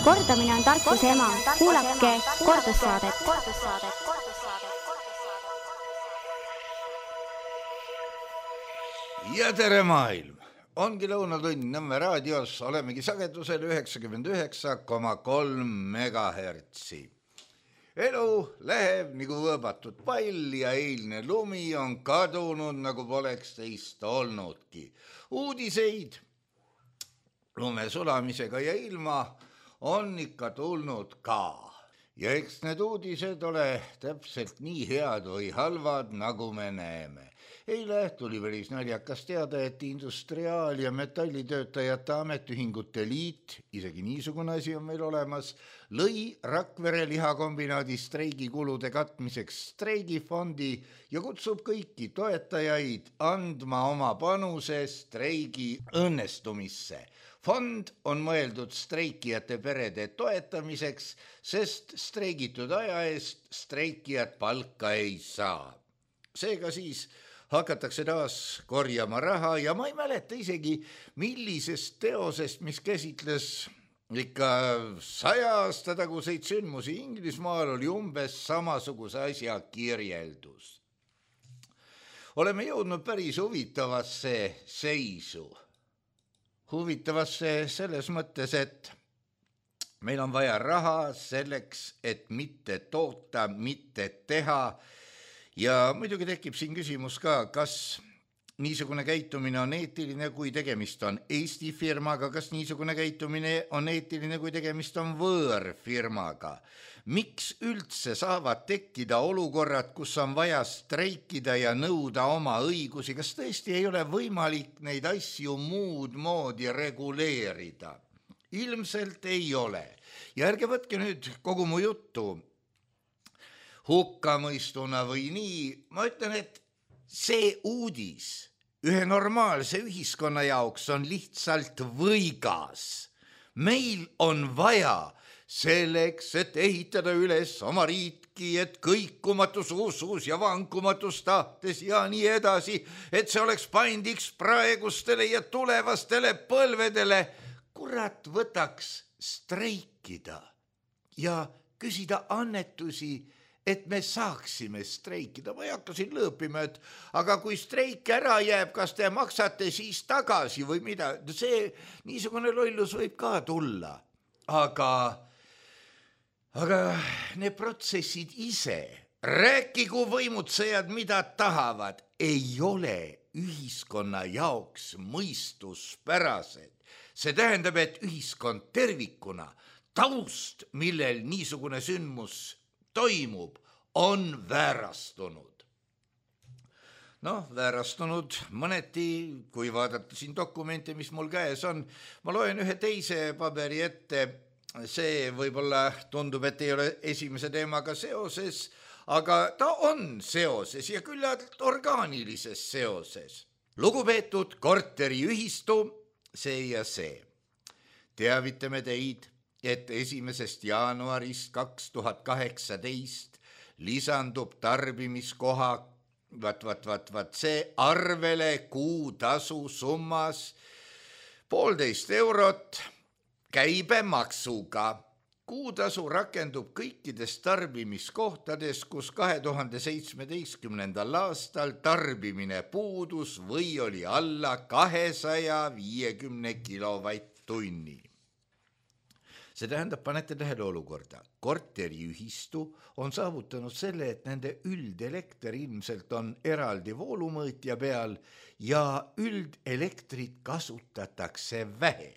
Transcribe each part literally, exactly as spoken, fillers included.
Kordamine on tarkuse ema. Kuulake kordussaadet. Ja tere maailm! Ongi lõunatund Nõmme raadios, olemegi sagedusel üheksakümmend üheksa koma kolm megahertsi. Elu läheb nagu võõbatud pall ja eilne lumi on kadunud, nagu poleks teist olnudki. Uudiseid lume sulamisega ja ilma on ikka tulnud ka. Ja eks need uudised ole täpselt nii head või halvad, nagu me näeme. Eile tuli päris naljakas teada, et Industriaal- ja Metallitöötajate Ametiühingute Liit, isegi niisugune asi on meil olemas, lõi Rakvere lihakombinaadi streigikulude katmiseks streigifondi ja kutsub kõiki toetajaid andma oma panuse streigi õnnestumisse. Fond on mõeldud streikijate perede toetamiseks, sest streigitud aja eest streikijad palka ei saa. Seega siis hakatakse taas korjama raha ja ma ei mäleta isegi, millisest teosest, mis käsitles ikka saja aasta taguseid sündmusi Inglismaal, oli umbes samasuguse asja kirjeldus. Oleme jõudnud päris huvitavasse seisu. Huvitavasse selles mõttes, et meil on vaja raha selleks, et mitte toota, mitte teha. Ja muidugi tekib siin küsimus ka, kas niisugune käitumine on eetiline, kui tegemist on Eesti firmaga, kas niisugune käitumine on eetiline, kui tegemist on võõrfirmaga. Miks üldse saavad tekkida olukorrad, kus on vaja streikida ja nõuda oma õigusi? Kas tõesti ei ole võimalik neid asju muud moodi reguleerida? Ilmselt ei ole. Ja ärge võtke nüüd kogu mu juttu hukkamõistuna või nii. Ma ütlen, et see uudis ühe normaalse ühiskonna jaoks on lihtsalt võigas. Meil on vaja selleks, et ehitada üles oma riiki, et kõikumatus usus ja vankumatus tahtes ja nii edasi, et see oleks paindiks praegustele ja tulevastele põlvedele. Kurat, võtaks streikida ja küsida annetusi, et me saaksime streikida. Ma ei hakka siin lõõpima, et aga kui streik ära jääb, kas te maksate siis tagasi või mida? See niisugune lollus võib ka tulla. Aga, aga need protsessid ise, rääkigu võimutsejad, mida tahavad, ei ole ühiskonna jaoks mõistuspärased. See tähendab, et ühiskond tervikuna, taust, millel niisugune sündmus toimub, on väärastunud. Noh, väärastunud mõneti, kui vaadata siin dokumente, mis mul käes on. Ma loen ühe teise paberi ette. See võib-olla tundub, et ei ole esimese teemaga seoses, aga ta on seoses ja küllalt orgaanilises seoses. Lugupeetud korteriühistu, see ja see. Teavitame teid, et esimesest jaanuarist kaks tuhat kaheksateist lisandub tarbimiskoha vat, vat, vat, vat, see arvele kuutasu summas poolteist eurot käibemaksuga. Kuutasu rakendub kõikides tarbimiskohtades, kus kahe tuhande seitsmeteistkümnendal aastal tarbimine puudus või oli alla kahesaja viiekümne kilovatt-tunni. See tähendab, panete tähele olukorda. Korteriühistu on saavutanud selle, et nende üldelekter ilmselt on eraldi voolumõõtja peal ja üldelektrit kasutatakse vähe.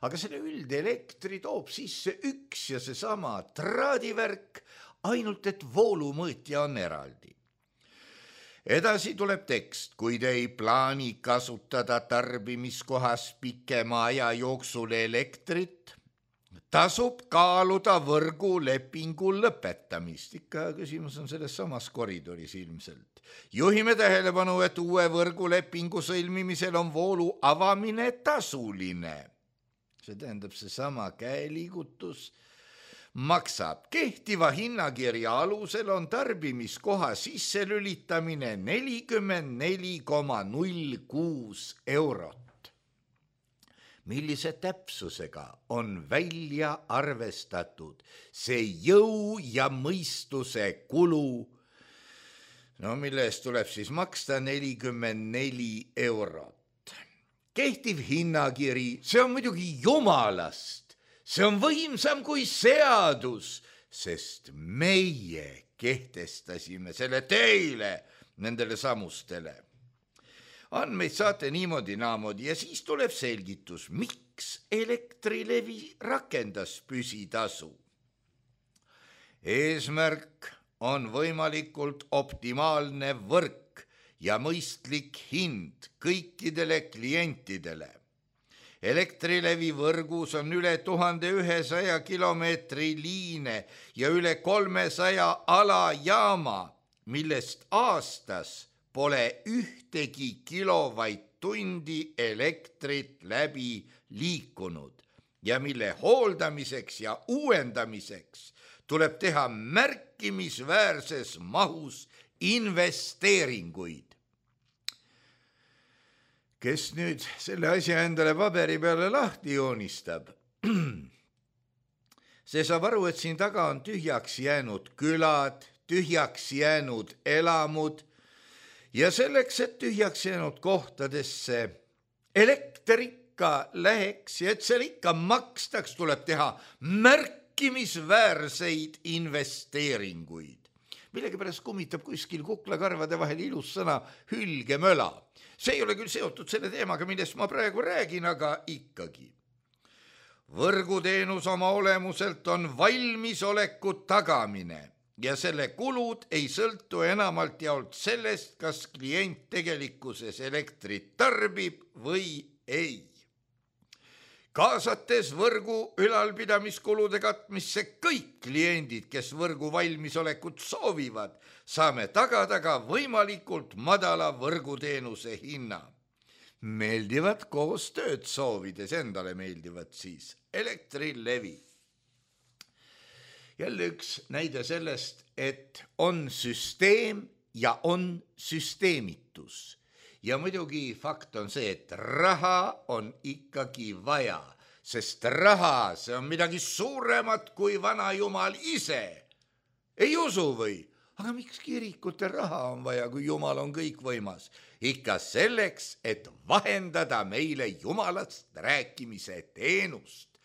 Aga selle üldelektri toob sisse üks ja seesama traadivärk, ainult et voolumõõtja on eraldi. Edasi tuleb tekst, kui te ei plaani kasutada tarbimiskohas pikema aja jooksul elektrit, tasub kaaluda võrgulepingu lõpetamist. Ikka küsimus on selles samas koridoris ilmselt. Juhime tähelepanu, et uue võrgulepingu sõlmimisel on voolu avamine tasuline. See tähendab, see sama käeliigutus maksab. Kehtiva hinnakirja alusel on tarbimiskoha sisse lülitamine nelikümmend neli koma null kuus eurot. millise täpsusega on välja arvestatud see jõu ja mõistuse kulu, no mille eest tuleb siis maksta nelikümmend neli eurot. Kehtiv hinnakiri, see on muidugi jumalast, see on võimsam kui seadus, sest meie kehtestasime selle teile, nendele samustele. Andmeid saate niimoodi naamoodi ja siis tuleb selgitus, miks Elektrilevi rakendas püsitasu. Eesmärk on võimalikult optimaalne võrk ja mõistlik hind kõikidele klientidele. Elektrilevi võrgus on üle tuhande ühesaja kilomeetri liine ja üle kolmesaja alajaama, millest aastas pole ühtegi kilovatt-tundi elektrit läbi liikunud ja mille hooldamiseks ja uuendamiseks tuleb teha märkimisväärses mahus investeeringuid. Kes nüüd selle asja endale paberi peale lahti joonistab? See saab aru, et siin taga on tühjaks jäänud külad, tühjaks jäänud elamud ja selleks, et tühjaks jäänud kohtadesse elekter ikka läheks ja et seal ikka makstaks, tuleb teha märkimisväärseid investeeringuid. Millegipärast kummitab kuskil kuklakarvade vahel ilus sõna hülgemöla. See ei ole küll seotud selle teemaga, millest ma praegu räägin, aga ikkagi. Võrguteenus oma olemuselt on valmisoleku tagamine ja selle kulud ei sõltu enamalt jaolt sellest, kas klient tegelikkuses elektrit tarbib või ei. Kaasates võrgu ülalpidamiskulude katmisse kõik kliendid, kes võrgu valmisolekut soovivad, saame tagada ka võimalikult madala võrguteenuse hinna. Meeldivad koostööd soovides, endale meeldivad siis Elektrilevi. Jälle üks näide sellest, et on süsteem ja on süsteemitus. Ja muidugi fakt on see, et raha on ikkagi vaja, sest raha, see on midagi suuremat kui vana jumal ise. Ei usu või? Aga miks kirikute raha on vaja, kui jumal on kõikvõimas? Ikka selleks, et vahendada meile jumalast rääkimise teenust.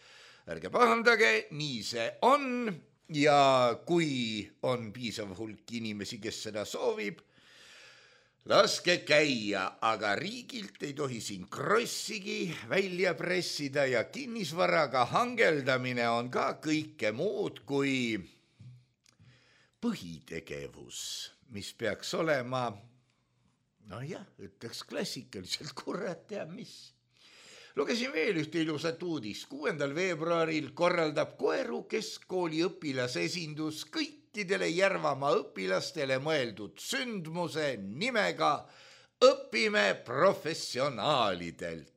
Ärge pahandage, nii see on ja kui on piisav hulk inimesi, kes seda soovib, laske käia, aga riigilt ei tohi siin krossigi välja pressida ja kinnisvaraga hangeldamine on ka kõike muud kui põhitegevus, mis peaks olema, no jah, ütleks klassikaliselt, kurat teab mis. Lugesin veel ühte ilusat uudist. kuuendal veebruaril korraldab Koeru keskkooli õpilasesindus kõikidele Järvamaa õpilastele mõeldud sündmuse nimega Õpime professionaalidelt.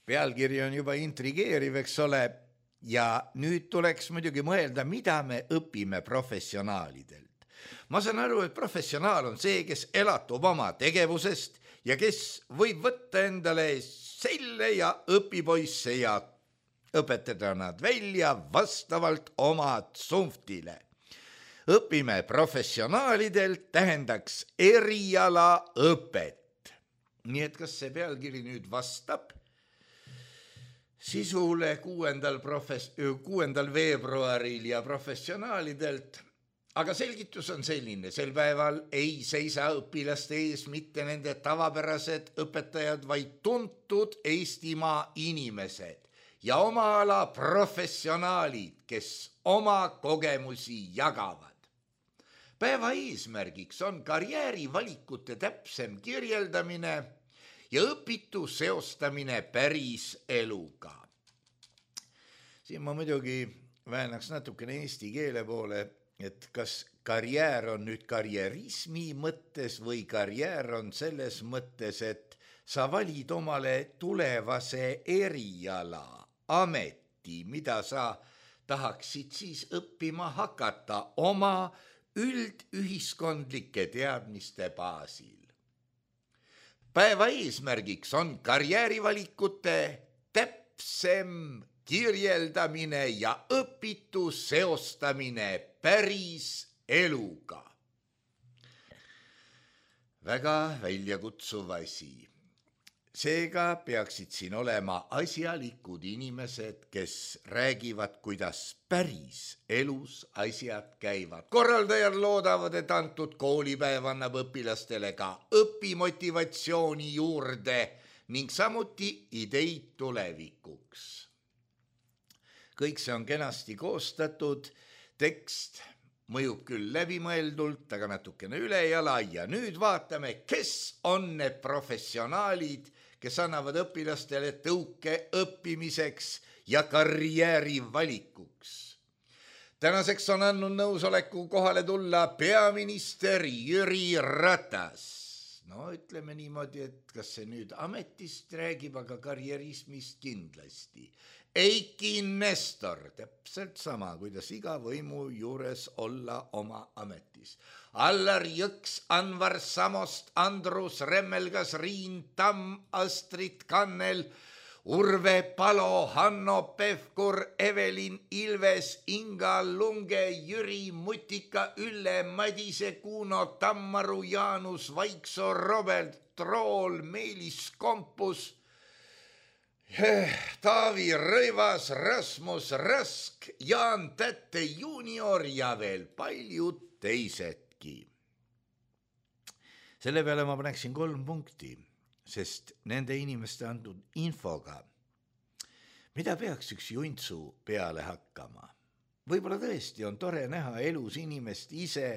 Pealkiri on juba intrigeeriv, eks ole, ja nüüd tuleks muidugi mõelda, mida me õpime professionaalidelt. Ma saan aru, et professionaal on see, kes elatub oma tegevusest ja kes võib võtta endale selle ja õpipoisse ja õpetada nad välja vastavalt oma tsunftile. Õpime professionaalidelt tähendaks erialaõpet. Nii et kas see pealkiri nüüd vastab sisule kuuendal, profes- kuuendal veebruaril ja professionaalidelt? Aga selgitus on selline, sel päeval ei seisa õpilaste ees mitte nende tavapärased õpetajad, vaid tuntud Eestimaa inimesed ja oma ala professionaalid, kes oma kogemusi jagavad. Päeva eesmärgiks on karjäärivalikute täpsem kirjeldamine ja õpitu seostamine päris eluga. Siin ma muidugi väänaks natukene eesti keele poole, et kas karjäär on nüüd karjärismi mõttes või karjäär on selles mõttes, et sa valid omale tulevase eriala, ameti, mida sa tahaksid siis õppima hakata oma üldühiskondlike teadmiste baasil. päeva eesmärgiks on karjäärivalikute täpsem kirjeldamine ja õpitu seostamine päris eluga. Väga väljakutsuv asi. Seega peaksid siin olema asjalikud inimesed, kes räägivad, kuidas päris elus asjad käivad. Korraldajad loodavad, et antud koolipäev annab õpilastele ka õpimotivatsiooni juurde ning samuti ideid tulevikuks. Kõik see on kenasti koostatud, tekst mõjub küll läbimõeldult, aga natukene ülejala ja nüüd vaatame, kes on need professionaalid, kes annavad õpilastele tõuke õppimiseks ja karjääri valikuks. Tänaseks on andnud nõusoleku kohale tulla peaminister Jüri Ratas. No ütleme niimoodi, et kas see nüüd ametist räägib, aga karjärismist kindlasti. Eiki Nestor, täpselt sama, kuidas iga võimu juures olla oma ametis. Allar Jõks, Anvar Samost, Andrus Remmelgas, Riin Tamm, Astrid Kannel, Urve Palo, Hanno Pevkur, Evelin Ilves, Inga Lunge, Jüri Mutika, Ülle Madise, Kuno Tammaru, Jaanus Vaiksoo, Robert Trool, Meelis Kompus, Taavi Rõivas, Rasmus Rask, Jaan Tätte junior ja veel paljud teisedki. Selle peale ma paneksin kolm punkti, sest nende inimeste antud infoga, mida peaks üks juntsu peale hakkama. Võib-olla tõesti on tore näha elus inimest ise,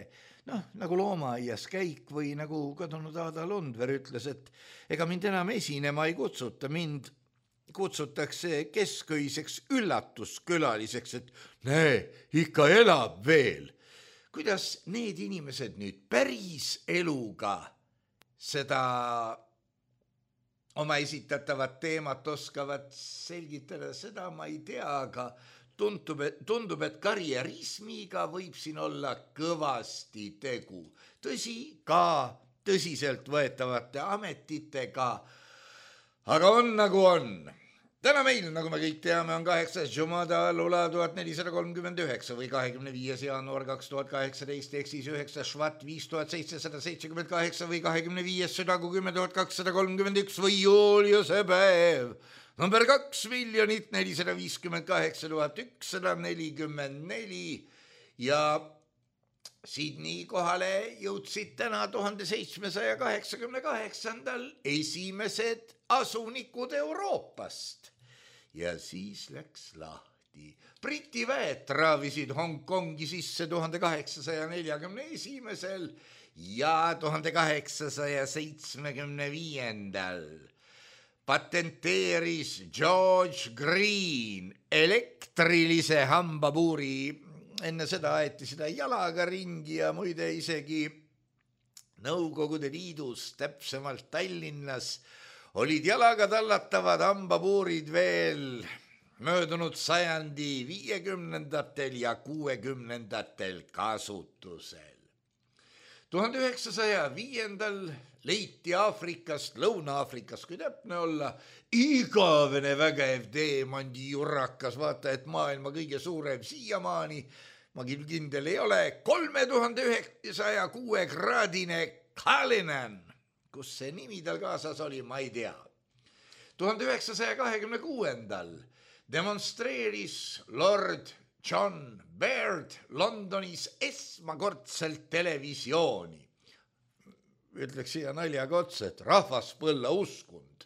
noh, nagu loomaaias käik või nagu kadunud Aada Lundver ütles, et ega mind enam esinema ei kutsuta, mind kutsutakse kesköiseks üllatuskülaliseks, et näe, ikka elab veel. Kuidas need inimesed nüüd päris eluga seda oma esitatavat teemat oskavad selgitada, seda ma ei tea, aga tundub, et, tundub, et karjärismiga võib siin olla kõvasti tegu. Tõsi, ka tõsiselt võetavate ametitega, aga on nagu on. Täna meil, nagu me kõik teame, on kaheksas Jumada Lula tuhat nelisada kolmkümmend üheksa või kahekümne viies jaanuar kaks tuhat kaheksateist, ehk siis üheksas Švat viis tuhat seitsesada seitsekümmend kaheksa või kahekümne viies Südagu kümme tuhat kakssada kolmkümmend üks või Juliuse päev. Number kaks miljonit nelisada viiskümmend kaheksa tuhat ükssada nelikümmend neli ja Sydney kohale jõudsid täna tuhande seitsmesaja kaheksakümne kaheksandal esimesed asunikud Euroopast. Ja siis läks lahti. Briti väed traavisid Hongkongi sisse tuhande kaheksasaja neljakümne esimesel ja tuhande kaheksasaja seitsmekümne viiendal. Patenteeris George Green elektrilise hambapuuri. Enne seda aeti seda jalaga ringi ja muide isegi Nõukogude Liidus, täpsemalt Tallinnas, olid jalaga tallatavad hambapuurid veel möödunud sajandi viiekümnendatel ja kuuekümnendatel kasutusel. tuhande üheksasaja viiendal leiti Aafrikast, Lõuna-Aafrikast, kui täpne olla, igavene vägev teemandijurakas, vaata, et maailma kõige suurem siiamaani, ma küll kindel ei ole, kolme tuhande üheksasaja kuue kraadine Cullinan, kus see nimi tal kaasas oli, ma ei tea. tuhande üheksasaja kahekümne kuuendal demonstreeris Lord John Baird Londonis esmakordselt televisiooni. Ütleks siia naljaga otsa, et rahvaspõlla uskund.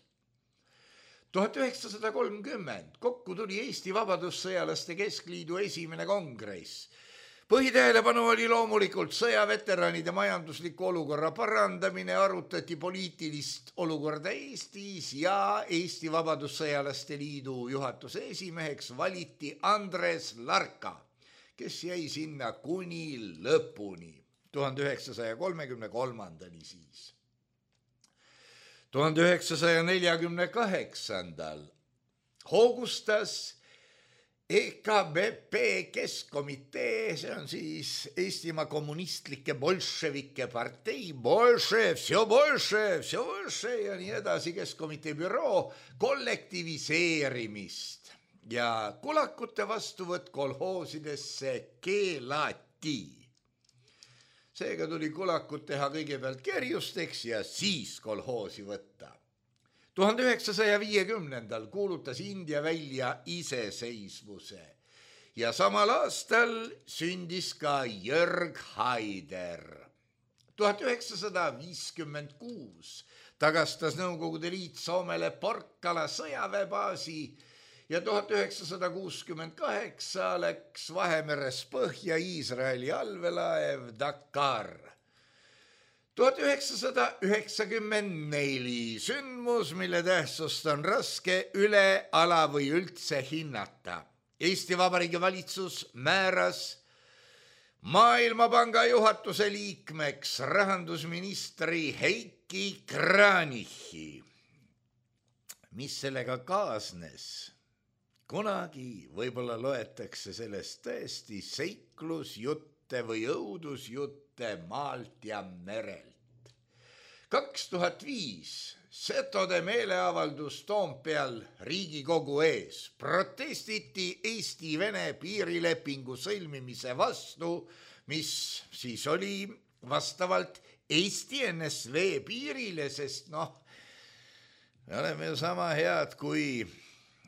tuhat üheksasada kolmkümmend kokku tuli Eesti Vabadussõjalaste Keskliidu esimene kongress. Põhitähelepanu oli loomulikult sõjaveteranide majandusliku olukorra parandamine, arutati poliitilist olukorda Eestis ja Eesti Vabadussõjalaste Liidu juhatuse esimeheks valiti Andres Larka, kes jäi sinna kuni lõpuni, tuhande üheksasaja kolmekümne kolmandani siis. tuhande üheksasaja neljakümne kaheksandal hoogustas E K B P Keskkomitee, see on siis Eestimaa kommunistlike bolševike partei, bolšev, vse bolšev, vse bolšev ja nii edasi, Keskkomitee büroo kollektiviseerimist ja kulakute vastuvõtt kolhoosidesse keelati. Seega tuli kulakut teha kõigepealt kerjusteks ja siis kolhoosi võtta. tuhande üheksasaja viiekümnendal kuulutas India välja iseseisvuse ja samal aastal sündis ka Jörg Haider. tuhat üheksasada viiskümmend kuus tagastas Nõukogude Liit Soomele Porkkala sõjaväebaasi ja tuhat üheksasada kuuskümmend kaheksa läks Vahemeres põhja Iisraeli allveelaev Dakar. tuhat üheksasada üheksakümmend neli sündmus, mille tähtsust on raske üle, ala või üldse hinnata. Eesti Vabariigi valitsus määras Maailmapanga juhatuse liikmeks rahandusministri Heiki Kranichi. Mis sellega kaasnes? Kunagi võib-olla loetakse sellest tõesti seiklusjutte või õudusjutte maalt ja merelt. kaks tuhat viis setode meeleavaldus Toompeal Riigikogu ees. Protestiti Eesti-Vene piirilepingu sõlmimise vastu, mis siis oli vastavalt Eesti N S V piirile, sest noh, me oleme ju sama head, kui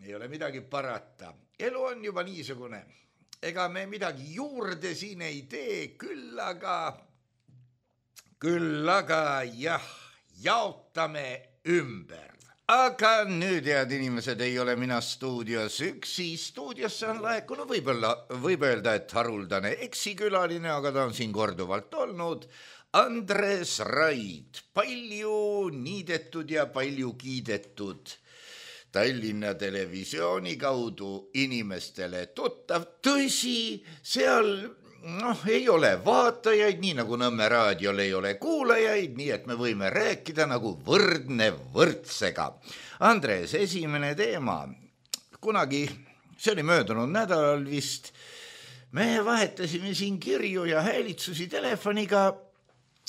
ei ole midagi parata. Elu on juba niisugune. Ega me midagi juurde siin ei tee, küll aga, küll aga jah, jaotame ümber. Aga nüüd, head inimesed, ei ole mina stuudios üksi. Stuudiosse on laekunud, võib-olla, võib öelda, et haruldane eksikülaline, aga ta on siin korduvalt olnud. Andres Raid, palju niidetud ja palju kiidetud Tallinna Televisiooni kaudu inimestele tuttav. Tõsi, seal noh, ei ole vaatajaid, nii nagu Nõmme raadiol ei ole kuulajaid, nii et me võime rääkida nagu võrdne võrdsega. Andres, esimene teema. Kunagi, see oli möödunud nädalal vist, me vahetasime siin kirju ja häälitsusi telefoniga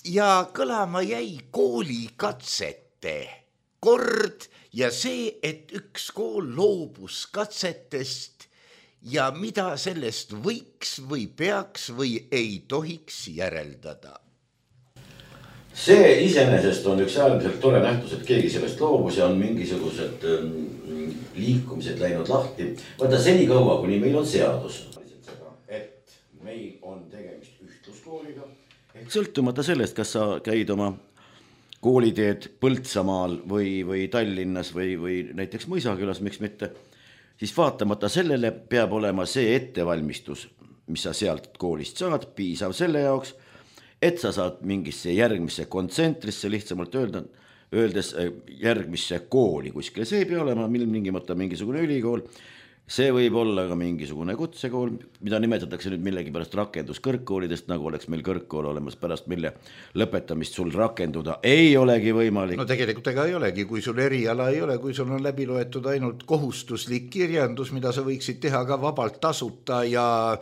ja kõlama jäi koolikatsete kord ja see, et üks kool loobus katsetest ja mida sellest võiks või peaks või ei tohiks järeldada. See iseenesest on üks äärmiselt tore nähtus, et keegi sellest loobus ja on mingisugused liikumised läinud lahti. Vaata seni kaua, kuni meil on seadus, et meil on tegemist ühtluskooliga. Sõltumata sellest, kas sa käid oma kooliteed Põltsamaal või, või Tallinnas või, või näiteks Mõisakülas, miks mitte, siis vaatamata sellele peab olema see ettevalmistus, mis sa sealt koolist saad, piisav selle jaoks, et sa saad mingisse järgmisse kontsentrisse, lihtsamalt öelda, öeldes järgmisse kooli kuskile. See ei pea olema mingimata mingisugune ülikool, see võib olla ka mingisugune kutsekool, mida nimetatakse nüüd millegipärast rakenduskõrgkoolidest, nagu oleks meil kõrgkool olemas, pärast mille lõpetamist sul rakenduda ei olegi võimalik. No tegelikult ega ei olegi, kui sul eriala ei ole, kui sul on läbi loetud ainult kohustuslik kirjandus, mida sa võiksid teha ka vabalt tasuta ja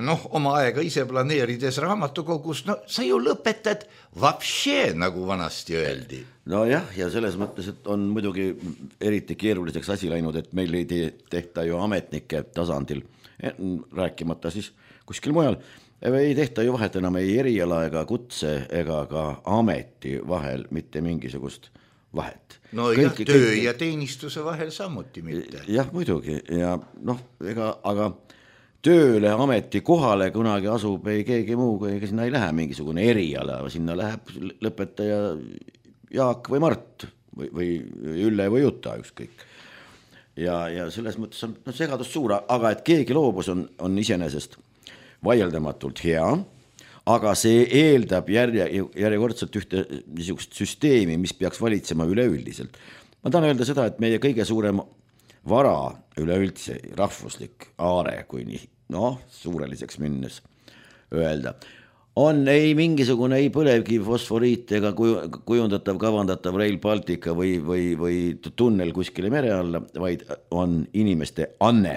noh, oma aega ise planeerides raamatukogus, no sa ju lõpetad vapšee, nagu vanasti öeldi. No jah, ja selles mõttes, et on muidugi eriti keeruliseks asi läinud, et meil ei tehta ju ametnike tasandil, rääkimata siis kuskil mujal, ei tehta ju vahet enam ei eriala ega kutse ega ka ameti vahel mitte mingisugust vahet. No jah, kõik, töö kõik... ja teenistuse vahel samuti mitte. Jah, muidugi, ja noh, ega, aga tööle ameti kohale kunagi asub ei keegi muu, ega sinna ei lähe mingisugune eriala, sinna läheb lõpetaja Jaak või Mart või, või Ülle või Juta ükskõik. Ja, ja selles mõttes on no, segadust suur, aga et keegi loobus on, on iseenesest vaieldamatult hea, aga see eeldab järje, järjekordselt ühte niisugust süsteemi, mis peaks valitsema üleüldiselt. Ma tahan öelda seda, et meie kõige suurem vara üleüldse, rahvuslik aare, kui nii noh, suureliseks minnes öelda, on ei mingisugune ei põlevkivi fosforiit ega kujundatav, kavandatav Rail Baltica või, või, või tunnel kuskile mere alla, vaid on inimeste anne.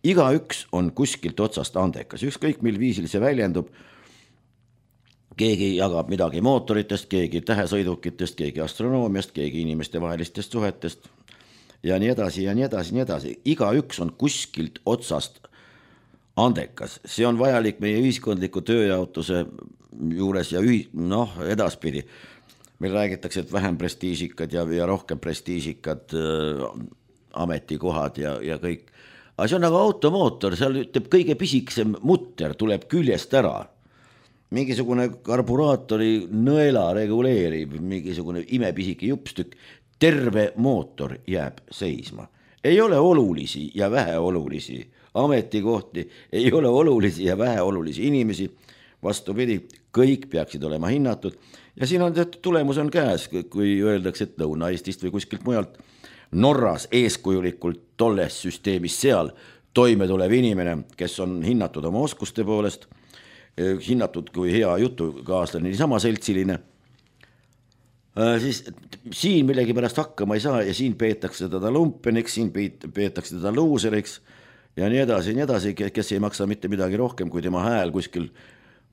igaüks on kuskilt otsast andekas, ükskõik mil viisil see väljendub. Keegi jagab midagi mootoritest, keegi tähesõidukitest, keegi astronoomiast, keegi inimeste vahelistest suhetest ja nii edasi ja nii edasi, nii edasi. Igaüks on kuskilt otsast andekas. See on vajalik meie ühiskondliku tööjaotuse juures ja ühi... noh, edaspidi. Meil räägitakse, et vähem prestiižikad ja, ja rohkem prestiižikad äh, ametikohad ja, ja kõik. Aga see on nagu automootor, seal ütleb kõige pisiksem mutter tuleb küljest ära. Mingisugune karburaatori nõela reguleerib, mingisugune imepisike jupstükk, terve mootor jääb seisma. Ei ole olulisi ja väheolulisi ametikohti, ei ole olulisi ja väheolulisi inimesi, vastupidi, kõik peaksid olema hinnatud ja siin on tulemus on käes, kui öeldakse, et Lõuna-Eestist või kuskilt mujalt Norras eeskujulikult tolles süsteemis seal toime tulev inimene, kes on hinnatud oma oskuste poolest, hinnatud kui hea jutukaaslane, niisama seltsiline, siis siin millegi pärast hakkama ei saa ja siin peetakse teda lumpeniks, siin peetakse teda luuseriks ja nii edasi, nii edasi, kes ei maksa mitte midagi rohkem kui tema hääl kuskil,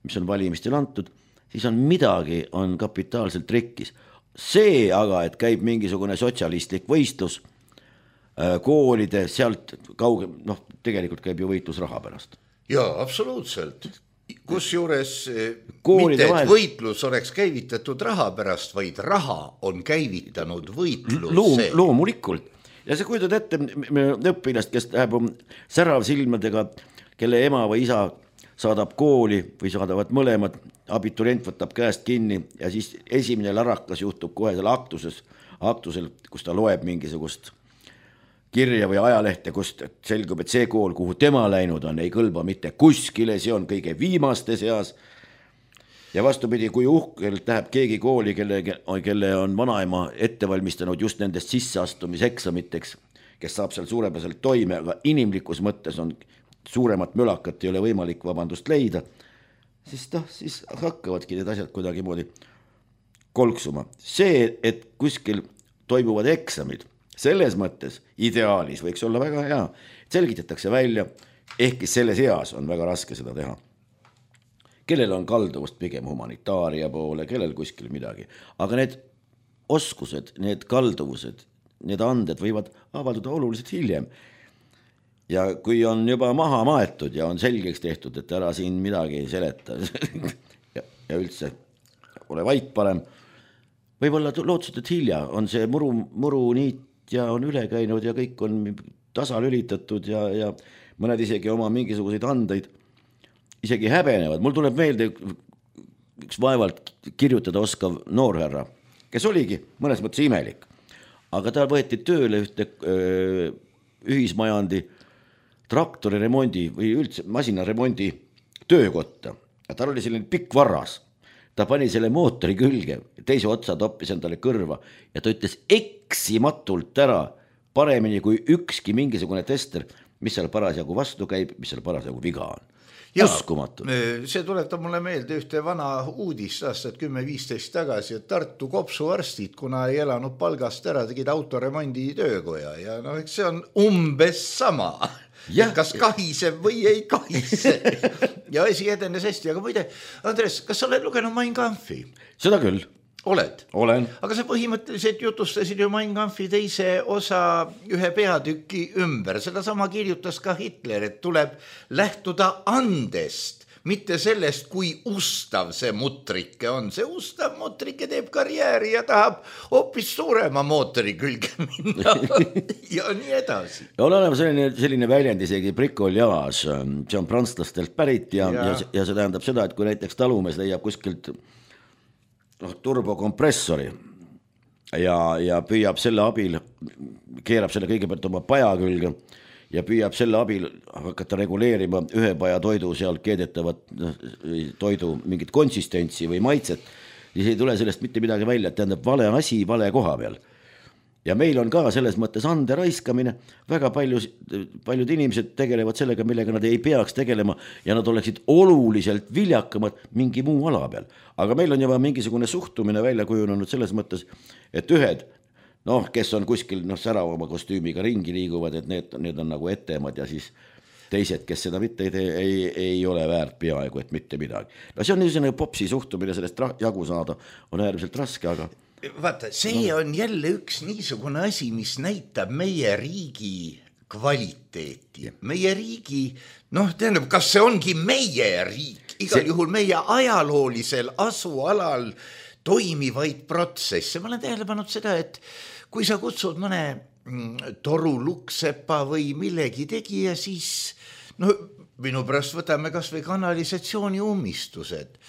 mis on valimistel antud, siis on midagi, on kapitaalselt rikkis. See aga, et käib mingisugune sotsialistlik võistlus koolide, sealt kauge, noh, tegelikult käib ju võitlus raha pärast. Jaa, absoluutselt. Kus juures mitte, et võitlus oleks käivitatud raha pärast, vaid raha on käivitanud võitluse. Loom, loomulikult. Ja see kujutad ette õpilast, kes läheb särav silmadega, kelle ema või isa saadab kooli või saadavad mõlemad, abiturient võtab käest kinni ja siis esimene larakas juhtub kohe seal aktuses, aktusel, kus ta loeb mingisugust kirja või ajalehte, kust selgub, et see kool, kuhu tema läinud on, ei kõlba mitte kuskile, see on kõige viimaste seas. Ja vastupidi, kui uhkelt läheb keegi kooli, kelle, kelle on vanaema ette valmistanud just nendest sisseastumiseksamiteks, kes saab seal suurepäraselt toime, aga inimlikus mõttes on suuremat mölakat ei ole võimalik vabandust leida, siis, ta, siis hakkavadki need asjad kuidagi moodi kolksuma. See, et kuskil toimuvad eksamid, selles mõttes ideaalis võiks olla väga hea, selgitatakse välja, ehkki selles eas on väga raske seda teha. Kellel on kalduvust pigem humanitaaria poole, kellel kuskil midagi, aga need oskused, need kalduvused, need anded võivad avalduda oluliselt hiljem. Ja kui on juba maha maetud ja on selgeks tehtud, et ära siin midagi seleta ja, ja üldse ole vait parem, võib-olla lootsid, et hilja on see muru, muru niit ja on üle käinud ja kõik on tasalülitatud ja, ja mõned isegi oma mingisuguseid andeid isegi häbenevad. Mul tuleb meelde üks vaevalt kirjutada oskav noorherra, kes oligi mõnes mõttes imelik, aga ta võeti tööle ühte öö, ühismajandi traktori remondi või üldse masinaremondi töökotta. Ja tal oli selline pikk varras. Ta pani selle mootori külge, teise otsa toppis endale kõrva ja ta ütles eksimatult ära paremini kui ükski mingisugune tester, mis seal parasjagu vastu käib, mis seal parasjagu viga on. Uskumatud. See tuletab mulle meelde ühte vana uudist aastat kümme viisteist tagasi, et Tartu kopsuarstid, kuna ei elanud palgast ära, tegid autoremondi töökoja ja no, eks see on umbes sama. Ja. Kas kahiseb või ei kahise. Ja asi edenes hästi, aga muide, Andres, kas sa oled lugenud Mein Kampfi? Seda küll. Oled? Olen. Aga sa põhimõtteliselt jutustasid ju Mein Kampfi teise osa ühe peatüki ümber. Seda sama kirjutas ka Hitler, et tuleb lähtuda andest, mitte sellest, kui ustav see mutrike on. See ustav mutrike teeb karjääri ja tahab hoopis suurema mootori külge minna ja nii edasi. Ja on olema selline, selline väljend isegi bricolage, see on prantslastelt pärit ja, ja. Ja, ja see tähendab seda, et kui näiteks talumees leiab kuskilt no, turbokompressori ja, ja püüab selle abil, keerab selle kõigepealt oma paja külge ja püüab selle abil hakata reguleerima ühe paja toidu seal keedetavat toidu mingit konsistentsi või maitset, siis ei tule sellest mitte midagi välja, et tähendab vale asi vale koha peal. Ja meil on ka selles mõttes ande raiskamine, väga palju, paljud inimesed tegelevad sellega, millega nad ei peaks tegelema ja nad oleksid oluliselt viljakamad mingi muu ala peal. Aga meil on juba mingisugune suhtumine välja kujunenud selles mõttes, et ühed noh, kes on kuskil noh, säravama kostüümiga ringi liiguvad, et need, need on nagu ettemad ja siis teised, kes seda mitte ei, tee, ei, ei ole väärt peaaegu, et mitte midagi. No see on niisugune popsi suhtumine, sellest jagu saada on äärmiselt raske, aga vaata, see no. on jälle üks niisugune asi, mis näitab meie riigi kvaliteeti. Meie riigi, noh, tähendab, kas see ongi meie riik, igal see... juhul meie ajaloolisel asualal toimivaid protsesse. Ma olen tähele pannud seda, et kui sa kutsud mõne toru luksepa või millegi tegija, siis no minu pärast võtame kas või kanalisatsiooni ummistused.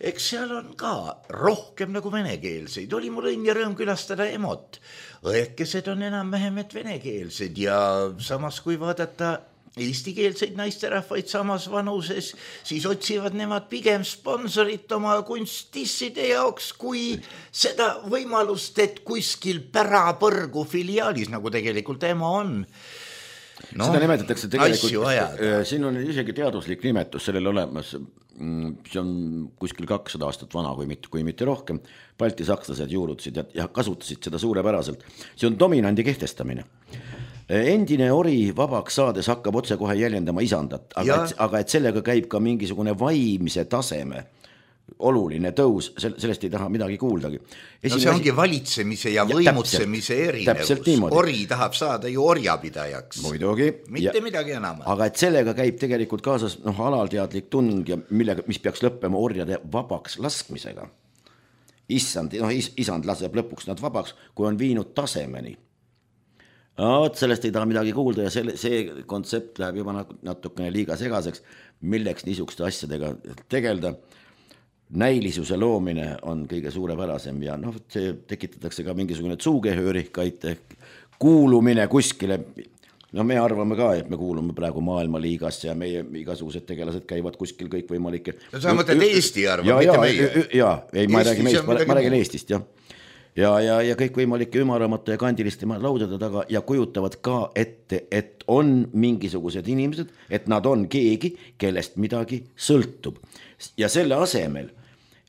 Eks seal on ka rohkem nagu venekeelseid. Oli mul õnn ja rõõm külastada Emot. Õekesed on enam vähemet venekeelsed ja samas kui vaadata eestikeelseid naisterahvaid samas vanuses, siis otsivad nemad pigem sponsorit oma kunstisside jaoks kui seda võimalust, et kuskil pärapõrgu filiaalis, nagu tegelikult ema on. No, seda nimetatakse tegelikult, siin on isegi teaduslik nimetus sellel olemas, see on kuskil kakssada aastat vana, kui mitte, kui mitte rohkem. Balti sakslased juurutasid ja kasutasid seda suurepäraselt. See on dominandi kehtestamine. Endine ori vabaks saades hakkab otse kohe jäljendama isandat, aga et, aga et sellega käib ka mingisugune vaimse taseme oluline tõus, sellest ei taha midagi kuuldagi. No see ongi valitsemise ja, ja võimutsemise erinevus. Ori tahab saada ju orjapidajaks. Muidugi. Mitte ja, midagi enam. Aga et sellega käib tegelikult kaasas noh, alalteadlik tung, ja millega, mis peaks lõppema orjade vabaks laskmisega. Issand, noh, is, isand laseb lõpuks nad vabaks, kui on viinud tasemeni. No, sellest ei taha midagi kuulda ja selle, see kontsept läheb juba natukene liiga segaseks, milleks niisuguste asjadega tegelda. Näilisuse loomine on kõige suurepärasem ja noh, see tekitatakse ka mingisugune tsuugehöörikaid kuulumine kuskile. No me arvame ka, et me kuulume praegu maailmaliigasse ja meie igasugused tegelased käivad kuskil kõik võimalike. No sa mõtled Eesti arva, ja, mitte ja, meie. Ja, ei, ma räägin meist, ma, ma räägin Eestist, jah. Ja, ja, ja kõik võimalike ümaramate ja kandiliste laudade taga ja kujutavad ka ette, et on mingisugused inimesed, et nad on keegi, kellest midagi sõltub. Ja selle asemel,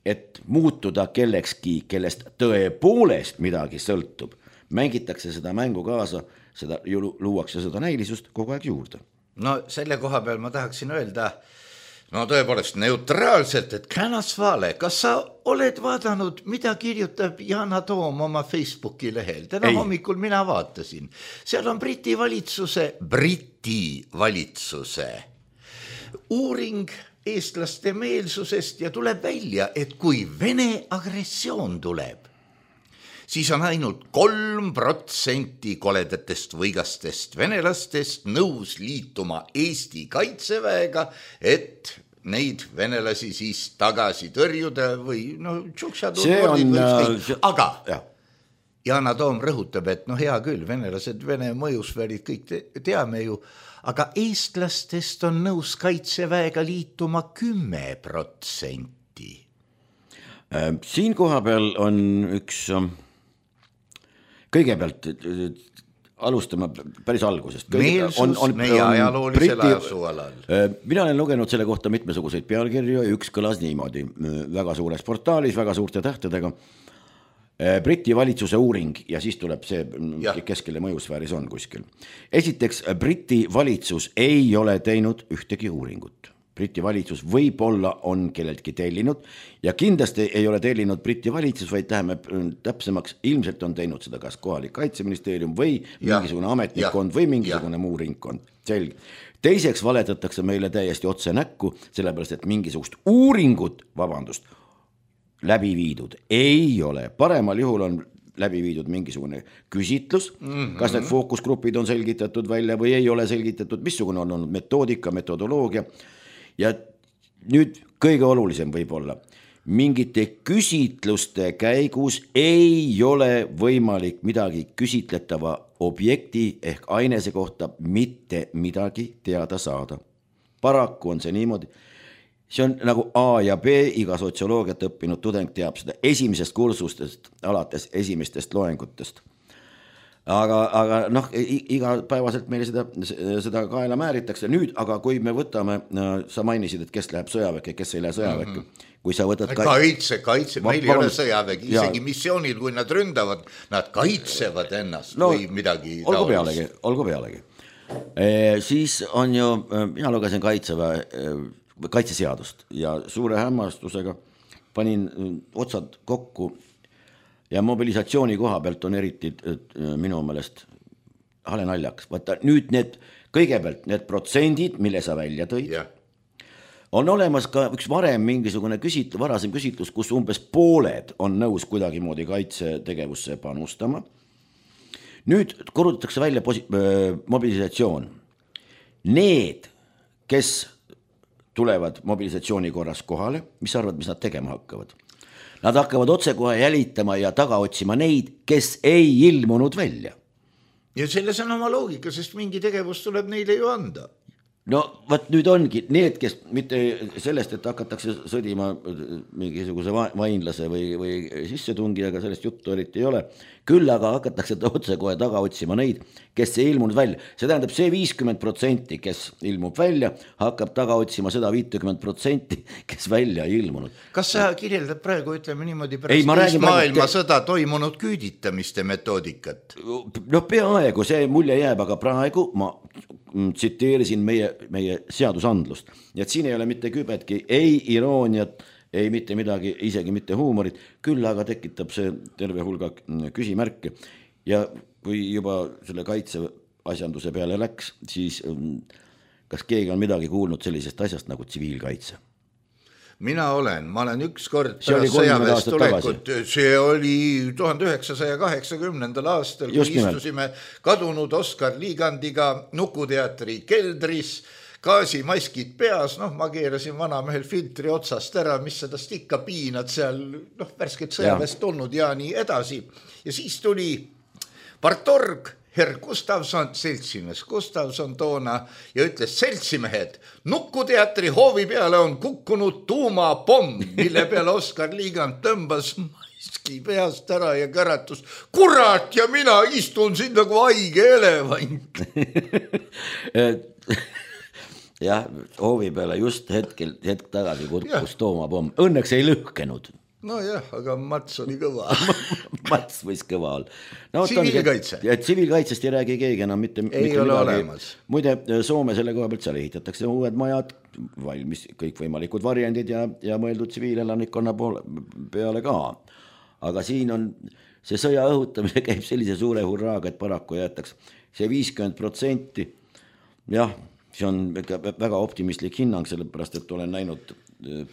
et muutuda kellekski, kellest tõepoolest midagi sõltub, mängitakse seda mängu kaasa, seda luuakse seda näilisust kogu aeg juurde. No selle koha peal ma tahaksin öelda, no tõepoolest neutraalselt, et Känas Vaale, kas sa oled vaadanud, mida kirjutab Yana Toom oma Facebooki lehel? Täna Ei. hommikul mina vaatasin. Seal on Briti valitsuse, Briti valitsuse uuring eestlaste meelsusest ja tuleb välja, et kui Vene agressioon tuleb, siis on ainult kolm protsenti koledatest võigastest venelastest nõus liituma Eesti kaitseväega, et neid venelasi siis tagasi tõrjuda või no tšuksad on, see... aga ja. Yana Toom rõhutab, et no hea küll, venelased, Vene mõjusfäärid kõik te, teame ju, aga eestlastest on nõus kaitseväega liituma kümme protsenti. Siin koha peal on üks, kõigepealt alustame päris algusest. Meelsus on, on, meie ajaloolisel asualal. Mina olen lugenud selle kohta mitmesuguseid pealkirju ja üks kõlas niimoodi, väga suures portaalis, väga suurte tähtedega. Briti valitsuse uuring ja siis tuleb see ja. Keskele mõjusfääris on kuskil. Esiteks, Briti valitsus ei ole teinud ühtegi uuringut. Briti valitsus võib-olla on kelleltki tellinud ja kindlasti ei ole tellinud Briti valitsus, vaid läheme täpsemaks, ilmselt on teinud seda kas kohalik kaitseministeerium või ja. Mingisugune ametnikkond ja. Või mingisugune ja. Muu ringkond. Selge. Teiseks valetatakse meile täiesti otse näkku, sellepärast et mingisugust uuringut, vabandust, läbi viidud ei ole. Paremal juhul on läbi viidud mingisugune küsitlus, mm-hmm. kas need fookusgrupid on selgitatud välja või ei ole selgitatud, missugune on olnud metoodika, metodoloogia. Ja nüüd kõige olulisem võib olla, mingite küsitluste käigus ei ole võimalik midagi küsitletava objekti ehk ainese kohta mitte midagi teada saada. Paraku on see niimoodi. See on nagu A ja B, iga sotsioloogiat õppinud tudeng teab seda esimesest kursustest, alates esimestest loengutest. Aga, aga noh, iga päevaselt meile seda, seda kaela määritakse. Nüüd, aga kui me võtame, sa mainisid, et kes läheb sõjaväkke, kes ei lähe sõjaväkke. Mm-hmm. Kui sa võtad ka... Kaitse, kaitse, meil ei ole sõjavägi, isegi ja. Missioonil, kui nad ründavad, nad kaitsevad ennast no, või midagi olgu pealegi, olgu pealegi. E, siis on ju, mina lugesin kaitseväe, kaitseseadust ja suure hämmastusega panin otsad kokku ja mobilisatsiooni koha pealt on eriti minu meelest hale naljaks. Vaata nüüd need, kõigepealt need protsendid, mille sa välja tõid, yeah. on olemas ka üks varem mingisugune küsit, varasem küsitlus, kus umbes pooled on nõus kuidagimoodi kaitsetegevusse panustama. Nüüd korrutatakse välja posi- mobilisatsioon. Need, kes tulevad mobilisatsiooni korras kohale, mis arvad, mis nad tegema hakkavad? Nad hakkavad otsekohe jälitama ja taga otsima neid, kes ei ilmunud välja. Ja selles on oma loogika, sest mingi tegevus tuleb neile ju anda. No võt nüüd ongi need, kes mitte sellest, et hakatakse sõdima mingisuguse vainlase või, või sissetungijaga, sellest juttu eriti ei ole. Küll aga hakatakse otse kohe taga otsima neid, kes ei ilmunud välja. See tähendab, see viiskümmend protsenti, kes ilmub välja, hakkab taga otsima seda viiskümmend protsenti, kes välja ei ilmunud. Kas sa kirjeldad praegu, ütleme niimoodi, pärast teist maailma sõda toimunud küüditamiste metoodikat? No peaaegu see mulje jääb, aga praegu ma tsiteerisin meie, meie seadusandlust. Ja et siin ei ole mitte kübetki, ei irooniat, ei mitte midagi, isegi mitte huumorit, küll aga tekitab see terve hulga küsimärke. Ja kui juba selle kaitse asjanduse peale läks, siis kas keegi on midagi kuulnud sellisest asjast nagu tsiviilkaitse? Mina olen, ma olen üks kord pärast sõjaväest tulekut, see oli tuhande üheksasaja kaheksakümnendal aastal, kui Just istusime nimelt. Kadunud Oskar Liigandiga Nukuteatri keldris, gaasimaskid peas, noh, ma keerasin vanamehel filtri otsast ära, mis sedast ikka piinad seal, noh, värsket sõjaväest tulnud ja nii edasi. Ja siis tuli partorg, Herr Gustavson, seltsimees Gustavson toona ja ütles, seltsimehed, Nukuteatri hoovi peale on kukkunud tuumapomm, mille peale Oskar Liigand tõmbas maski peast ära ja käratus, kurat, ja mina istun siin nagu haige elevant. Jah, hoovi peale just hetkel, hetk tagasi kukkus tuumapomm. Õnneks ei lõhkenud. No jah, aga Mats oli kõva. Mats võis kõva olla. No, tsiviilkaitse. Ja tsiviilkaitsest ei räägi keegi enam mitte, ei mitte ole midagi. Olemas. Muide, Soome selle koha pealt seal ehitatakse uued majad, valmis kõik võimalikud variandid ja, ja mõeldud tsiviilelanikkonna peale ka. Aga siin on see sõja õhutamine käib sellise suure hurraaga, et paraku jäetaks see viiskümmend protsenti. Jah, see on väga optimistlik hinnang, sellepärast, et olen näinud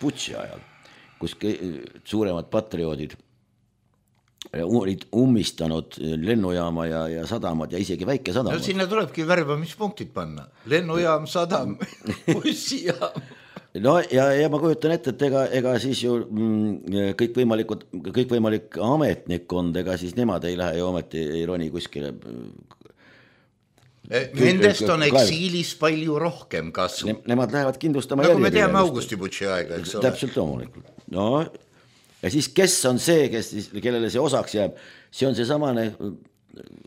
Butši ajal, kus suuremad patrioodid olid ummistanud lennujaama ja, ja sadamad ja isegi väike sadamad. No sinna tulebki värbamispunktid panna. Lennujaam, sadam, bussijaam. No ja, ja ma kujutan ette, et ega, ega siis ju mm, kõik võimalikud, kõik võimalik ametnikkond, ega siis nemad ei lähe ju ometi ei roni kuskile. Nendest on eksiilis palju rohkem kasvu. Ne, nemad lähevad kindlustama nagu me teame Augusti Butši aega, eks ole. Täpselt loomulikult. No, ja siis kes on see, kes, kellele see osaks jääb, see on see samane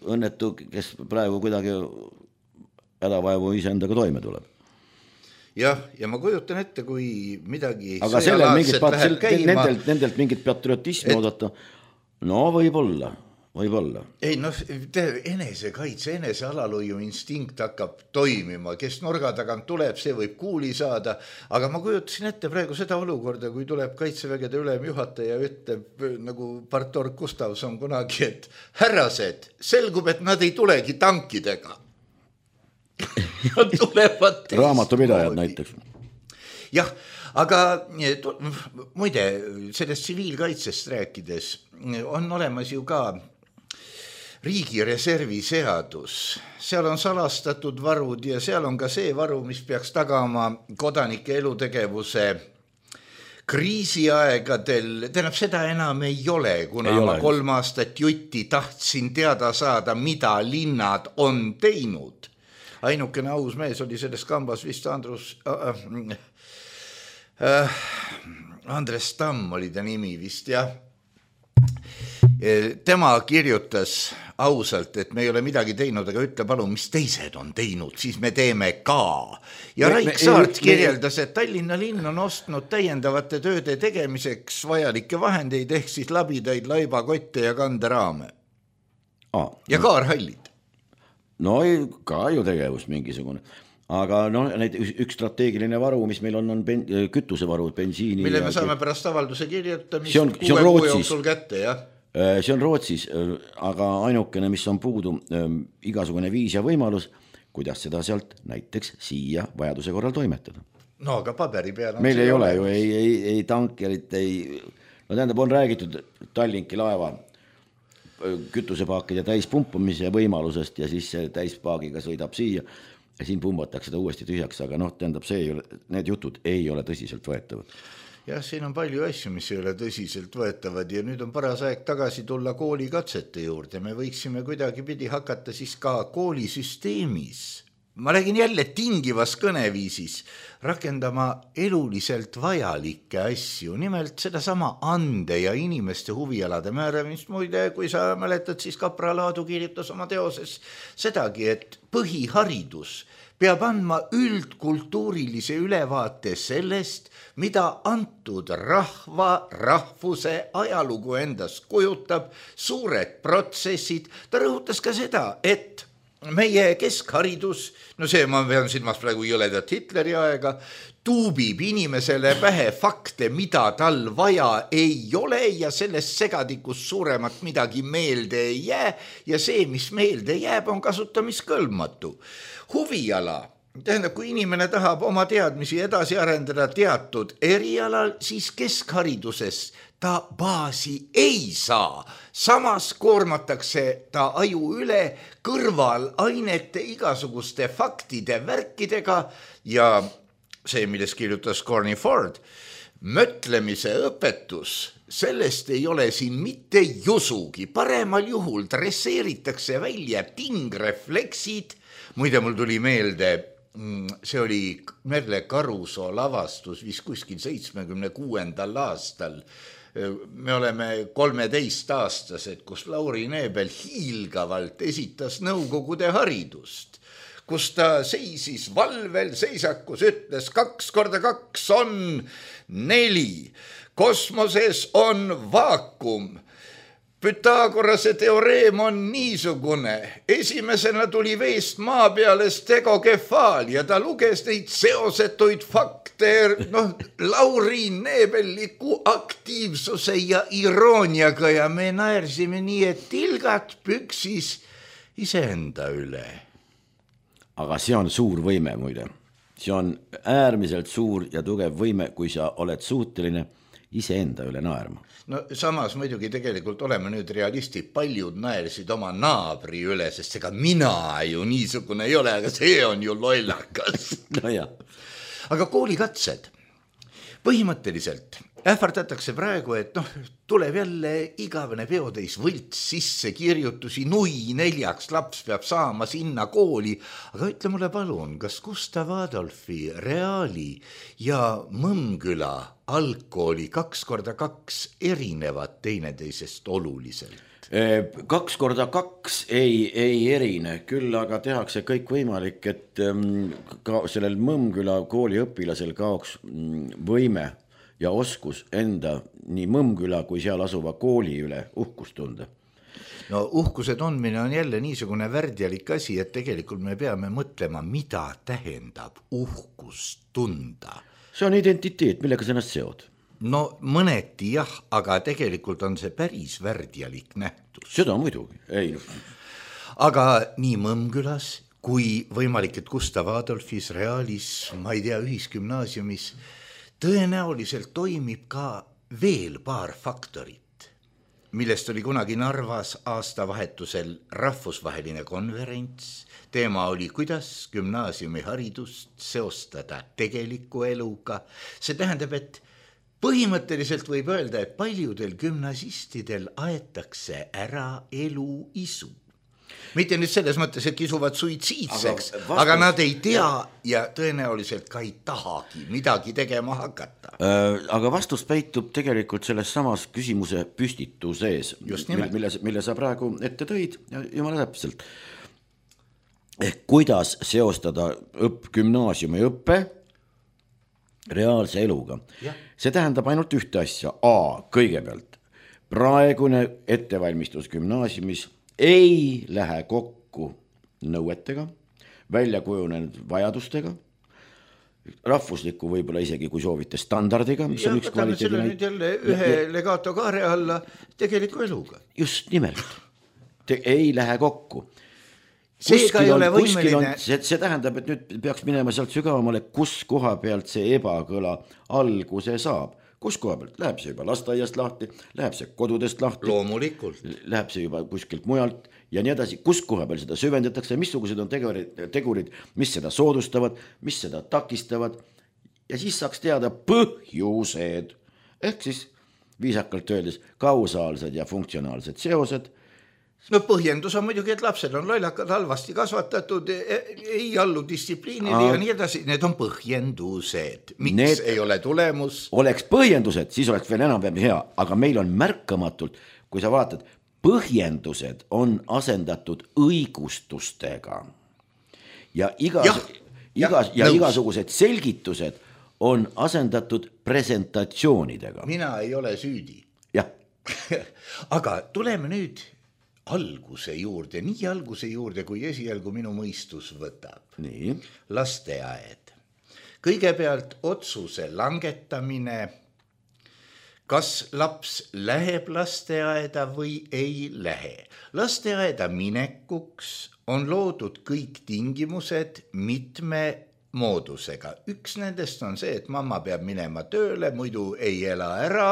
õnnetu, kes praegu kuidagi hädavaevu ise endaga toime tuleb. Jah, ja ma kujutan ette, kui midagi aga sõjalaadset läheb käima. Nendelt, nendelt mingit patriotismi et... oodata, no võib-olla. Võib-olla. Ei, no enesekaitse, enese alalhoiu instinkt hakkab toimima, kes nurga tagant tuleb, see võib kuuli saada, aga ma kujutasin ette praegu seda olukorda, kui tuleb kaitsevägede ülemjuhataja ja ütleb nagu partorg Gustavson kunagi, et härrased, selgub, et nad ei tulegi tankidega. Nad tulevad raamatupidajad näiteks. Jah, aga muide, sellest tsiviilkaitsest rääkides on olemas ju ka riigi reservi seadus. Seal on salastatud varud ja seal on ka see varu, mis peaks tagama kodanike elutegevuse kriisiaegadel. Tähendab, seda enam ei ole, kuna ei ma ole. kolm aastat jutti tahtsin teada saada, mida linnad on teinud. Ainukene aus mees oli selles kambas vist Andrus... Äh, äh, Andres Tamm oli ta nimi vist, jah. Tema kirjutas ausalt, et me ei ole midagi teinud, aga ütle palun, mis teised on teinud, siis me teeme ka. Ja me, Raik Saart me, kirjeldas, et Tallinna linn on ostnud täiendavate tööde tegemiseks vajalikke vahendeid, ehk siis labidaid, laibakotte ja kanderaame. Ah, ja kaarhallid. no ka ju tegevus mingisugune. Aga no, need üks strateegiline varu, mis meil on, on ben, kütusevaru, bensiini. Mille me saame pärast avalduse kirjutamist see on, see on Rootsis. Kätte, jah? See on Rootsis, aga ainukene, mis on puudu, igasugune viis ja võimalus, kuidas seda sealt näiteks siia vajaduse korral toimetada. No aga paberi peal meil ei ole ju, ei, ei, ei tankerit, ei, no tähendab, on räägitud Tallinki laeva kütusepaakide täispumpamise võimalusest ja siis see täispaagiga sõidab siia ja siin pumbatakse ta uuesti tühjaks, aga noh, tähendab, see ei ole, need jutud ei ole tõsiselt võetavad. Jah, siin on palju asju, mis ei ole tõsiselt võetavad ja nüüd on paras aeg tagasi tulla koolikatsete juurde. Me võiksime kuidagi pidi hakata siis ka koolisüsteemis, ma räägin jälle tingivas kõneviisis, rakendama eluliselt vajalikke asju, nimelt sedasama ande ja inimeste huvialade määramist. Muide, kui sa mäletad, siis Kapra Laadu kirjutas oma teoses sedagi, et põhiharidus peab andma üldkultuurilise ülevaate sellest, mida antud rahva, rahvuse ajalugu endast kujutab, suured protsessid. Ta rõhutas ka seda, et meie keskharidus, no see ma pean silmas praegu jõledat Hitleri aega, tuubib inimesele pähe fakte, mida tal vaja ei ole ja sellest segadikus suuremat midagi meelde ei jää ja see, mis meelde jääb, on kasutamiskõlbmatu. Huviala, tähendab, kui inimene tahab oma teadmisi edasi arendada teatud erialal, siis keskhariduses ta baasi ei saa. Samas koormatakse ta aju üle kõrval ainete igasuguste faktide värkidega ja see, milles kirjutas Corny Ford, mõtlemise õpetus, sellest ei ole siin mitte jusugi. Paremal juhul dresseeritakse välja tingrefleksid. Muide, mul tuli meelde, see oli Merle Karusoo lavastus vis kuskil seitsmekümne kuuendal aastal. Me oleme kolmeteist aastased, kus Lauri Neebel hiilgavalt esitas Nõukogude haridust, kus ta seisis valvel seisakus, ütles kaks korda kaks on neli, kosmoses on vaakum, Pythagorase teoreem on niisugune, esimesena tuli veest maa peale stegokefaal ja ta luges neid seosetuid fakte, noh, Lauri Neebelliku aktiivsuse ja irooniaga ja me naersime nii, et tilgat püksis iseenda üle. Aga see on suur võime muide. See on äärmiselt suur ja tugev võime, kui sa oled suuteline iseenda üle naerma. No samas muidugi tegelikult oleme nüüd realistid, paljud naersid oma naabri üle, sest ega mina ju niisugune ei ole, aga see on ju lollakas. No jah. Aga koolikatsed, põhimõtteliselt ähvardatakse praegu, et noh, tuleb jälle igavene peotäis võlts sisse kirjutusi, nui neljaks laps peab saama sinna kooli, aga ütle mulle palun, kas Gustav Adolfi, Reali ja Mõmmküla algkooli kaks korda kaks erinevad teineteisest oluliselt? Kaks korda kaks ei, ei erine, küll aga tehakse kõik võimalik, et ka sellel Mõmmküla kooli õpilasel kaoks võime ja oskus enda nii Mõmmküla kui seal asuva kooli üle uhkust tunda. No uhkuse tundmine on jälle niisugune värdjalik asi, et tegelikult me peame mõtlema, mida tähendab uhkust tunda. See on identiteet, millega sa ennast seod. No mõneti jah, aga tegelikult on see päris värdjalik nähtus. Seda muidugi, ei. Aga nii Mõmmkülas kui võimalik, et Gustav Adolfis, Realis, ma ei tea, ühisgümnaasiumis tõenäoliselt toimib ka veel paar faktorit, millest oli kunagi Narvas aastavahetusel rahvusvaheline konverents. Teema oli, kuidas gümnaasiumi haridust seostada tegeliku eluga. See tähendab, et põhimõtteliselt võib öelda, et paljudel gümnasistidel aetakse ära elu isu. Mitte nüüd selles mõttes, et kisuvad suitsiidseks, aga, vastus... aga nad ei tea ja tõenäoliselt ka ei tahagi midagi tegema hakata. Aga vastus peitub tegelikult selles samas küsimuse püstituses, mille, mille sa praegu ette tõid, jumala täpselt. Ehk kuidas seostada õpp, gümnaasiumi õppe reaalse eluga. Ja. See tähendab ainult ühte asja. A, kõigepealt, praegune ettevalmistus gümnaasiumis ei lähe kokku nõuetega, välja kujunenud vajadustega, rahvusliku võib-olla isegi, kui soovite, standardiga, mis ja, on üks kvaliteedi näit. Jälle ühe ja, legato kaare alla tegeliku eluga. Just nimelt. Te ei lähe kokku. Seega ei ole võimeline. On, see, see tähendab, et nüüd peaks minema sealt sügavamale, kus koha pealt see ebakõla alguse saab. Kus koha pealt? Läheb see juba lasteaiast lahti, läheb see kodudest lahti. Loomulikult. Läheb see juba kuskilt mujalt ja nii edasi. Kus koha peal seda süvendatakse, missugused on tegurid, tegurid, mis seda soodustavad, mis seda takistavad ja siis saaks teada põhjused. Ehk siis viisakalt öeldes kausaalsed ja funktsionaalsed seosed. No põhjendus on muidugi, et lapsed on lollakad, halvasti kasvatatud, ei allu distsipliinile Aa. ja nii edasi. Need on põhjendused. Miks Need ei ole tulemus? Oleks põhjendused, siis oleks veel enam hea, aga meil on märkamatult, kui sa vaatad, põhjendused on asendatud õigustustega ja, igas, ja, igas, ja, ja igasugused selgitused on asendatud presentatsioonidega. Mina ei ole süüdi. Jah. Aga tuleme nüüd alguse juurde, nii alguse juurde, kui esialgu minu mõistus võtab. Nii. Lasteaed. Kõigepealt otsuse langetamine, kas laps läheb lasteaeda või ei lähe. Lasteaeda minekuks on loodud kõik tingimused mitme moodusega. Üks nendest on see, et mamma peab minema tööle, muidu ei ela ära.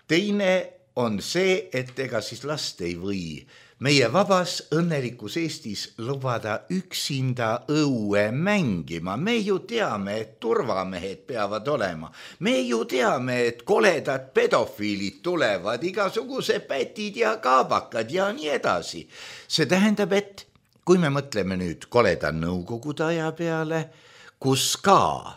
Teine on see, et ega siis last ei või meie vabas õnnelikus Eestis lubada üksinda õue mängima. Me ju teame, et turvamehed peavad olema. Me ju teame, et koledad pedofiilid tulevad, igasuguse pätid ja kaabakad ja nii edasi. See tähendab, et kui me mõtleme nüüd koleda nõukogude aja peale, kus ka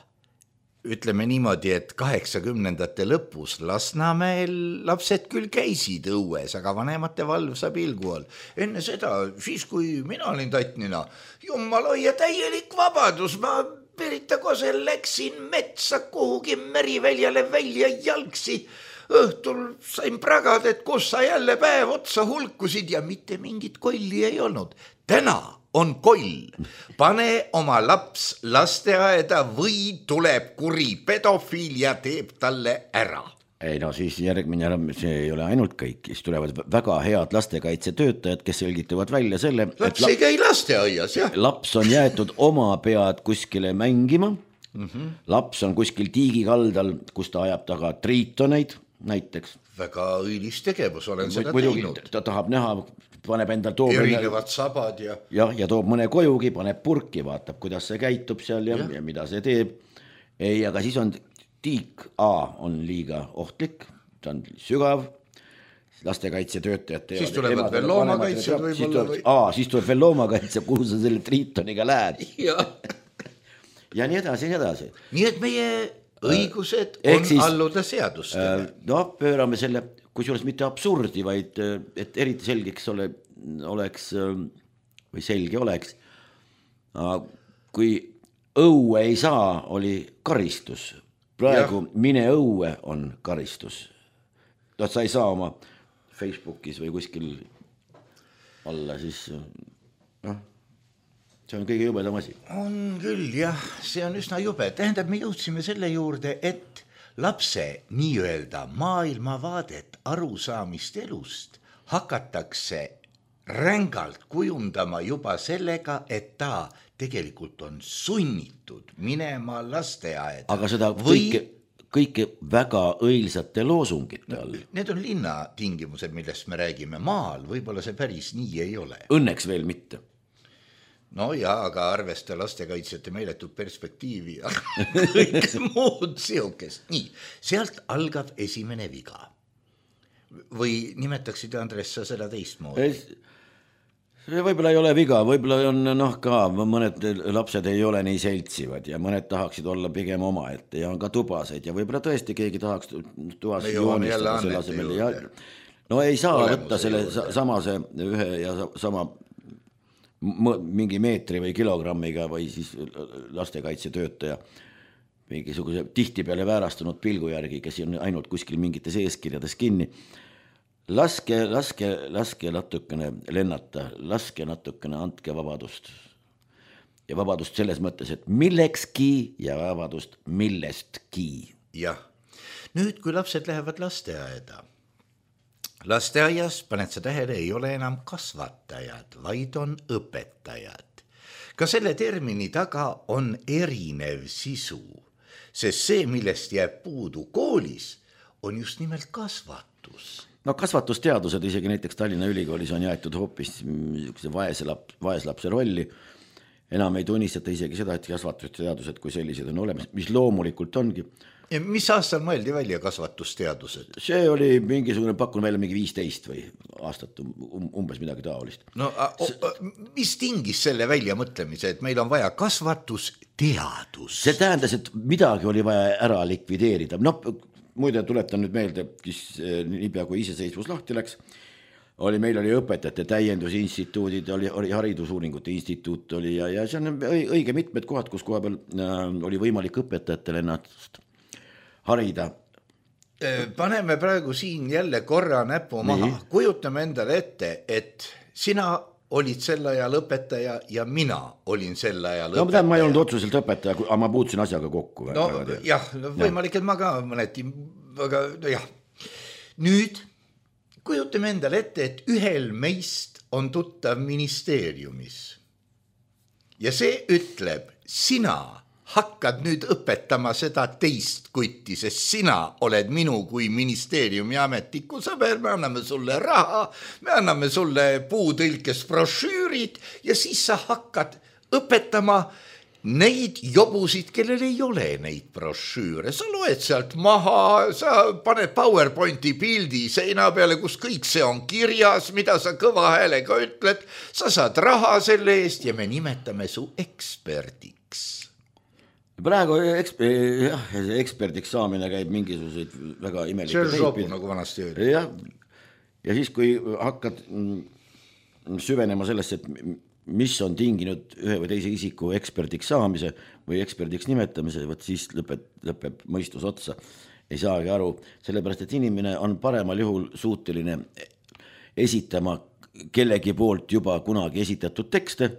ütleme niimoodi, et kaheksakümnendate lõpus Lasnamäel lapsed küll käisid õues, aga vanemate valvsa pilgu all. Enne seda, siis kui mina olin tatnina, jumala ja täielik vabadus, ma Perita Kosel läksin metsa kuhugi meriväljale välja jalgsi. Õhtul sain pragad, et kus sa jälle päev otsa hulkusid ja mitte mingit kolli ei olnud. Täna on koll. Pane oma laps lasteaeda või tuleb kuri pedofiil ja teeb talle ära. Ei no siis järgmine, see ei ole ainult kõik, siis tulevad väga head lastekaitsetöötajad, kes selgitavad välja selle, laps ei käi lasteaias, jah. Laps on jäetud oma pead kuskile mängima, mm-hmm. Laps on kuskil tiigikaldal, kus ta ajab taga triitoneid näiteks. Väga õilis tegevus, olen seda Muidugi, teinud. Ta tahab näha, paneb endal toob erinevad sabad ja... Ja, ja toob mõne kojugi, paneb purki, vaatab, kuidas see käitub seal ja, ja. ja mida see teeb. Ei, aga siis on tiik A on liiga ohtlik, ta on sügav, lastekaitsetöötajad teevad. Siis tulevad veel loomakaitsed võib-olla või... A, siis tuleb veel loomakaitse, kuhu sa selle triitoniga lähed. Ja. ja nii edasi, nii edasi. Nii et meie õigused äh, on siis, alluda seadustele. Äh, no, pöörame selle, kusjuures mitte absurdi, vaid et eriti selgeks ole, oleks või selge oleks. Kui õue ei saa, oli karistus. Praegu ja. Mine õue on karistus. No, sa ei saa oma Facebookis või kuskil alla, siis noh, see on kõige jubedam asi. On küll, jah, see on üsna jube. Tähendab, me jõudsime selle juurde, et lapse nii-öelda maailmavaadet, arusaamist elust hakatakse rängalt kujundama juba sellega, et ta tegelikult on sunnitud minema lasteaeda. Aga seda või... kõike, kõike väga õilsate loosungite all. Need on linna tingimused, millest me räägime. Maal võib-olla see päris nii ei ole. Õnneks veel mitte. No ja, aga arvesta lastekaitsjate meeletud perspektiivi ja kõik muud siukest. Nii, sealt algab esimene viga. Või nimetaksid, Andres, sa seda teistmoodi? See võib-olla ei ole viga, võib-olla on noh ka, mõned lapsed ei ole nii seltsivad ja mõned tahaksid olla pigem oma ette ja on ka tubaseid ja võib-olla tõesti keegi tahaks tuvas joonistada selle asemel. Ja, no ei saa Olemus võtta selle samase ühe ja sama mingi meetri või kilogrammiga või siis lastekaitsetöötaja mingisuguse tihti peale väärastunud pilgu järgi, kes on ainult kuskil mingites eeskirjades kinni. laske, laske, laske natukene lennata, laske natukene andke vabadust. Ja vabadust selles mõttes, et millekski ja vabadust millestki. Jah, nüüd kui lapsed lähevad lasteaeda, lasteaias, paned sa tähele, ei ole enam kasvatajad, vaid on õpetajad. Ka selle termini taga on erinev sisu, sest see, millest jääb puudu koolis, on just nimelt kasvatus. No kasvatusteadused isegi näiteks Tallinna Ülikoolis on jäetud hoopis vaeslap, vaeslapse rolli. Enam ei tunnistata isegi seda, et kasvatusteadused kui sellised on olemas, mis loomulikult ongi. Ja mis aastal mõeldi välja kasvatusteadused? See oli mingisugune pakkun välja mingi viisteist või aastat umbes midagi taolist. No mis tingis selle välja mõtlemise, et meil on vaja kasvatusteadus? See tähendas, et midagi oli vaja ära likvideerida. No muide tuletan nüüd meelde, kes niipea kui iseseisvus lahti läks, oli, meil oli õpetajate täiendusinstituudid, oli, oli haridusuuringute instituut oli ja, ja see on õige mitmed kohad, kus koha peal äh, oli võimalik õpetajatele ennast harida. Paneme praegu siin jälle korra näpu maha. Nii. Kujutame endale ette, et sina olid sel ajal õpetaja ja mina olin sel ajal no, õpetaja. Ma ei olnud otsuselt õpetaja, aga ma puutusin asjaga kokku. No jah, võimalik, et ma ka mõneti, aga no jah. Nüüd kujutame endale ette, et ühel meist on tuttav ministeeriumis. Ja see ütleb, sina hakkad nüüd õpetama seda teist kutti, sest sina oled minu kui ministeeriumi ametniku sõber, me anname sulle raha, me anname sulle puutõlkes brošüürid ja siis sa hakkad õpetama neid jobusid, kellel ei ole neid brošüüre. Sa loed sealt maha, sa paned PowerPointi pildi seina peale, kus kõik see on kirjas, mida sa kõva häälega ütled. Sa saad raha selle eest ja me nimetame su eksperdiks. Praegu eksper, jah, eksperdiks saamine käib mingisuguseid väga imelike teipid. See on sopu, nagu vanasti öeldi. Ja, ja siis, kui hakkad süvenema sellesse, et mis on tinginud ühe või teise isiku eksperdiks saamise või eksperdiks nimetamise, võt siis lõpeb, lõpeb mõistus otsa. Ei saagi aru, sellepärast, et inimene on paremal juhul suuteline esitama kellegi poolt juba kunagi esitatud tekste,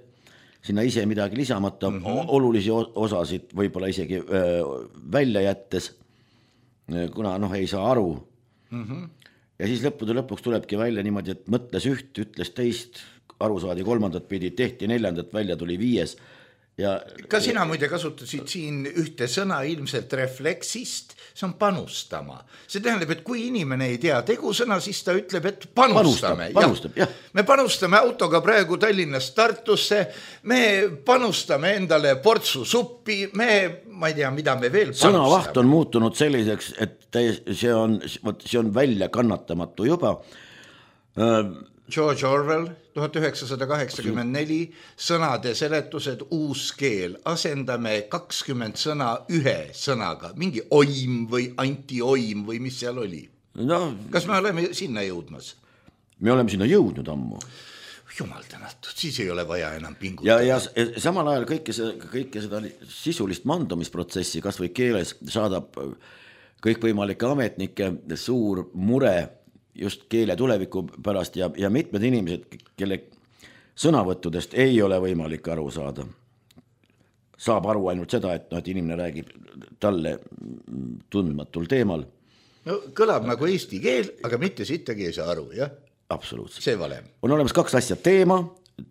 sinna ise midagi lisamata, mm -hmm. olulisi osasid võib-olla isegi öö, välja jättes, kuna noh, ei saa aru. Mm -hmm. Ja siis lõppude lõpuks tulebki välja niimoodi, et mõtles üht, ütles teist, aru saadi kolmandat pidi, tehti neljandat, välja tuli viies. Ja, ka sina muide kasutasid siin ühte sõna ilmselt refleksist, see on panustama. See tähendab, et kui inimene ei tea tegusõna, siis ta ütleb, et panustame. Panustab, panustab, jah. Me panustame autoga praegu Tallinnast Tartusse, me panustame endale portsu suppi, me, ma ei tea, mida me veel panustame. Sõnavaht on muutunud selliseks, et see on, see on välja kannatamatu juba. George Orwell, tuhat üheksasada kaheksakümmend neli, sõnade seletused, uus keel, asendame kakskümmend sõna ühe sõnaga, mingi oim või antioim või mis seal oli. No, kas me oleme sinna jõudmas? Me oleme sinna jõudnud ammu. Jumal tänatud, siis ei ole vaja enam pingutada. Ja, ja samal ajal kõike, see, kõike seda sisulist mandumisprotsessi kas või keeles saadab kõikvõimalike ametnike suur mure just keele tuleviku pärast ja, ja mitmed inimesed, kelle sõnavõttudest ei ole võimalik aru saada. Saab aru ainult seda, et, no, et inimene räägib talle tundmatul teemal. No, kõlab nagu eesti keel, aga mitte sittagi ei saa aru, jah? Absoluutselt. See valem. On olemas kaks asja teema.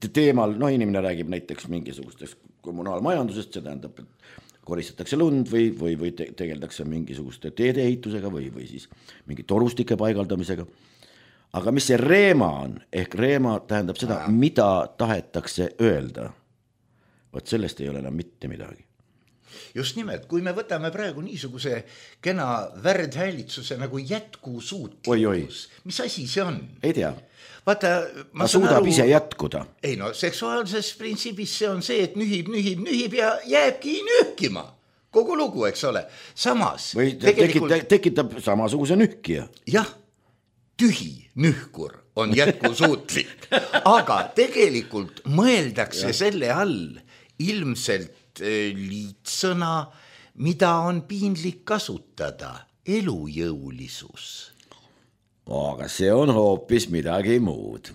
Teemal, no inimene räägib näiteks mingisugustest kommunaalmajandusest, see tähendab, et koristatakse lund või, või, või tegeldakse mingisuguste teedeehitusega või, või siis mingi torustike paigaldamisega. Aga mis see reema on? Ehk reema tähendab seda, Aa. mida tahetakse öelda. Võt sellest ei ole enam mitte midagi. Just nimelt, kui me võtame praegu niisuguse kena värdhäälitsuse nagu jätkusuutlikkus, mis asi see on? Ei tea. Vaata, ma suudab aru, ise jätkuda. Ei no, seksuaalses printsiibis see on see, et nühib, nühib, nühib ja jääbki nühkima. Kogu lugu, eks ole. Samas... Või tegelikult... tekitab, tekitab samasuguse nühkija. Jah, tühi nühkur on jätkusuutlik. Aga tegelikult mõeldakse ja. Selle all ilmselt liitsõna, mida on piinlik kasutada. Elujõulisus. aga see on hoopis midagi muud.